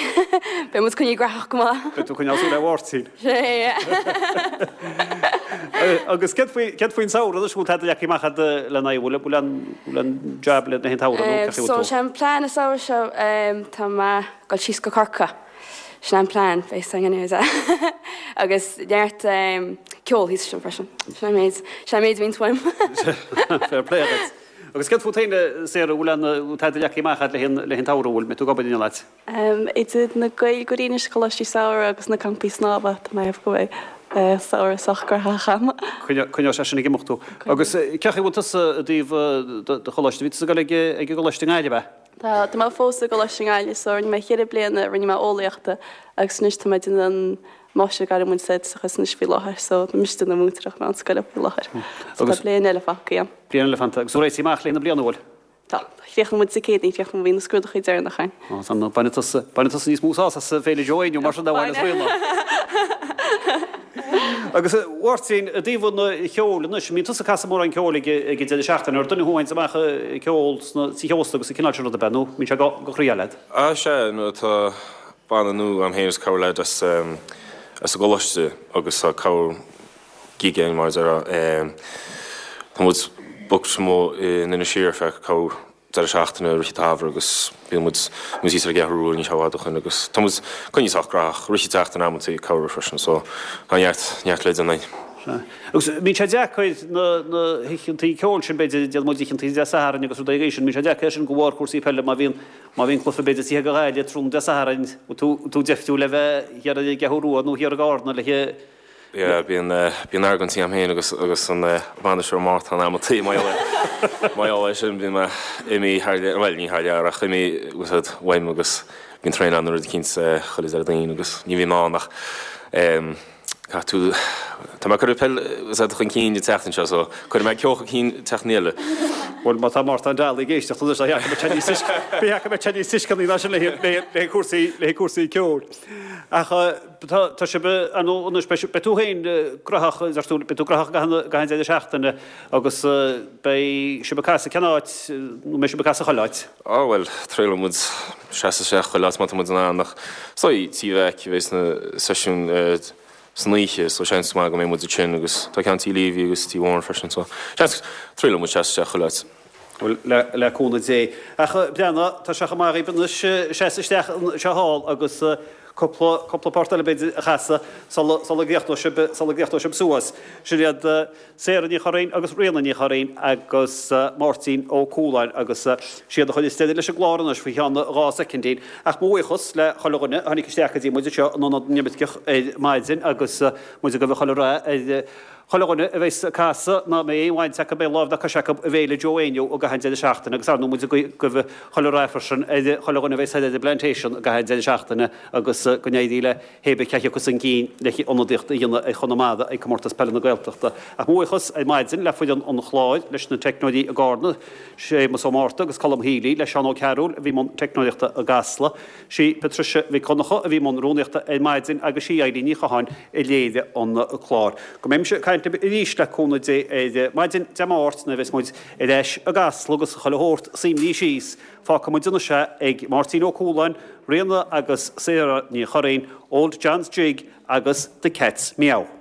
Beidh muid coinnithe graitheach go maith. Beidh tú ag coinneáil súil ar Mháirtín. Sin é, yeah. Agus céard faoi, céard faoin samhradh anois, bhfuil tada leagtha amach agat lena aghaidh, bhfuil, bhfuil an, bhfuil an jab le haghaidh an tsamhraidh nó cén chaoi a bhfuil So tú? sé an plean an samhradh seo, tá mé ag dul síos go Corcaigh. Sin é an plean, beidh a fhios againn anyways. Agus neart ceol thíos ansin freisin. Sin é an méid, sin é an méid a bhíonns uaim. Fair play duit. Agus céard fút féin, Sarah, bhfuil aon, bhfuil tada leagtha amach agat le haghaidh an, le haghaidh an tsamhraidh, bhfuil, mbeidh tú ag obair in aon áit? Idir na Gaeilgeoirí anois, coláistí samhraidh agus na campaí snámha, tá mé ag go mbeidh samhradh sách graitheach agam. Coinneoidh sé sin ag imeacht thú. Agus cén chaoi a bhfuil tusa i dtaobh do choláiste, bhí tusa ag dul ag an gcoláiste i nGaillimh, ab ea? Tá, tá mé fós i gColáiste na Gaillimhe so rinne mé cheithre bliana, rinne mé eolaíochta agus anois tá mé ag déanamh an máistir gairmoideachais anois faoi láthair so tá mise ag déanamh múinteoireacht meánscoile faoi láthair. So tá bliain eile fágtha agam. Bliain eile fanta. Agus tú réitithe amach le haghaidh na bliana, an bhfuil? Tá. Chríochnaigh muid Dé Céadaoin, chríochnaigh, bhí na scrúduithe deireanach againn. Ó, tá, bainfidh tusa, bainfidh tusa níos mó sásamh as Féile Joe Éinniú mar sin ná a bhainfeas Ríona. Agus a Mháirtín, i dtaobh an cheoil anois, an mbíonn tusa ag casadh mórán ceoil ag an deireadh seachtaine? Ar duine thú a théanns amach ag ceol sna tithe ósta agus an cineál sin rud ab ea, nó mbíonn sé go croí leat? Á, sea, nó tá banna nua agam féin is corr leaid as an gcoláiste agus tá corr gig againn mar a déarfá. Tá muid booked amuigh in Inis Oírr ar feadh corr deireadh seachtaine i rith an tsamhraidh agus bíonn muid muid thíos ar an gCeathrú Rua níl sé i bhfad ó shoin agus tá muid coinnithe sách graitheach rith an tseachtain amantaí ag cabhrú freisin so tá neart neart le déanamh againn. Sea. Agus bíonn sé deacair na na hoícheantaí ceoil sin b'fhéidir déanann muid oícheantaí Dé Sathairn agus rudaí agaibh sin bíonn sé deacair sin de bharr cúrsaí peile má bhíonn má bhíonn cluiche b'fhéidir tithe go Ghaillimh tráthnóna Dé Sathairn tú tú deifriúil le bheith thiar ar an gCeathrú Rua nó thiar i gCarna le Yeah, bíonn, bíonn argóintí agam féin agus, agus an bainisteoir Mártan amantaí mar gheall ar, mar gheall air sin, bíonn mé imithe thar lear, bhuel ní thar lear ach imithe úsáid uaim agus bíonn traenáil nó rud eicínt chuile Déardaoin agus ní bhím ann ach caithfidh tú, tá mé ag cur an peil úsáid chun cinn an tseachtain seo so cuirfidh mé ceol chun cinn an tseachtain eile. Bhuel má tá Mártan Daly ag éisteacht anois ba cheart go mbeadh sé níos tuisceanaí ná sin le haghaidh cúrsaí, le haghaidh cúrsaí ceoil. Ach Tá, tá sibh, ar ndóigh anois, beidh, beidh tú féin graitheach, deir tú, beidh tú graitheach i gcaitheamh na, i gcaitheamh an deireadh seachtaine agus beidh sibh ag casadh cén áit, nó mbeidh sibh ag casadh chuile áit? Á bhuel, triailfidh muid seasamh isteach chuile áit má tá muid in ann ach is dóigh Tí Mheaic a bheas na seisiúin san oíche so seans maith go mbeidh muid ansin agus tá ceann Tí Leavey agus Tí Mhóran freisin so seans, triailfidh muid seasamh isteach chuile áit. Bhuel, le, le cúnamh Dé. Ach breathnaigh, tá sé chomh maith dhaoibh anois seasamh isteach anseo thall agus. Cúpla, cúpla port eile b'fhéidir a chasadh sula, sula gcríochnóidh sibh, sula gcríochnóidh sibh suas. Sin iad Sarah Ní Churraoin agus Ríona Ní Churraoin agus Máirtín Ó Cualáin agus siad a chuirfeas deireadh leis an gclár anois faoi cheann 2 soicindín. Ach mo bhuíochas le chuile dhuine a tháinig isteach go dtí muid anseo in Ionad na nImirceach ar maidin agus muid ag guí chuile rath ar chuile dhuine a bheas ag casadh, ná beidh aon bhaint acu, aon láimh ná cois acu i bhféile Joe Éinniú i gcaitheamh an deireadh seachtaine agus ar ndóigh muid ag guí chuile rath freisin ar chuile dhuine a bheas ar an bPlantation i gcaitheamh an deireadh seachtaine agus go n-éirí le hé bith cé a thiocfas chun cinn le hionadaíocht a dhéanamh ar Chonamara ag Comórtas Peile na Gaeltachta. Ach mo bhuíochas ar maidin le foireann an chláir, leis na teicneoirí i gCarna, Séamus Ó Márta agus Colm Healy, le Seán Ó Cearúil a bhí i mbun teicneoireachta i gCasla, sí Patricia Mhic Dhonncha a bhí i mbun rúnaíochta ar maidin agus sí Eilín Ní Chatháin a léirigh an clár. Go mbeimse ag caint libh arís le cúnamh Dé ar maidin Dé Máirt nuair a bheas muid ar ais i gCasla agus chuile shórt suimrithe síos Fágfaidh muid anois é ag Máirtín Ó Cualáin, Ríona agus Sarah Ní Churraoin, Old John's Jig agus The Cat's Meow.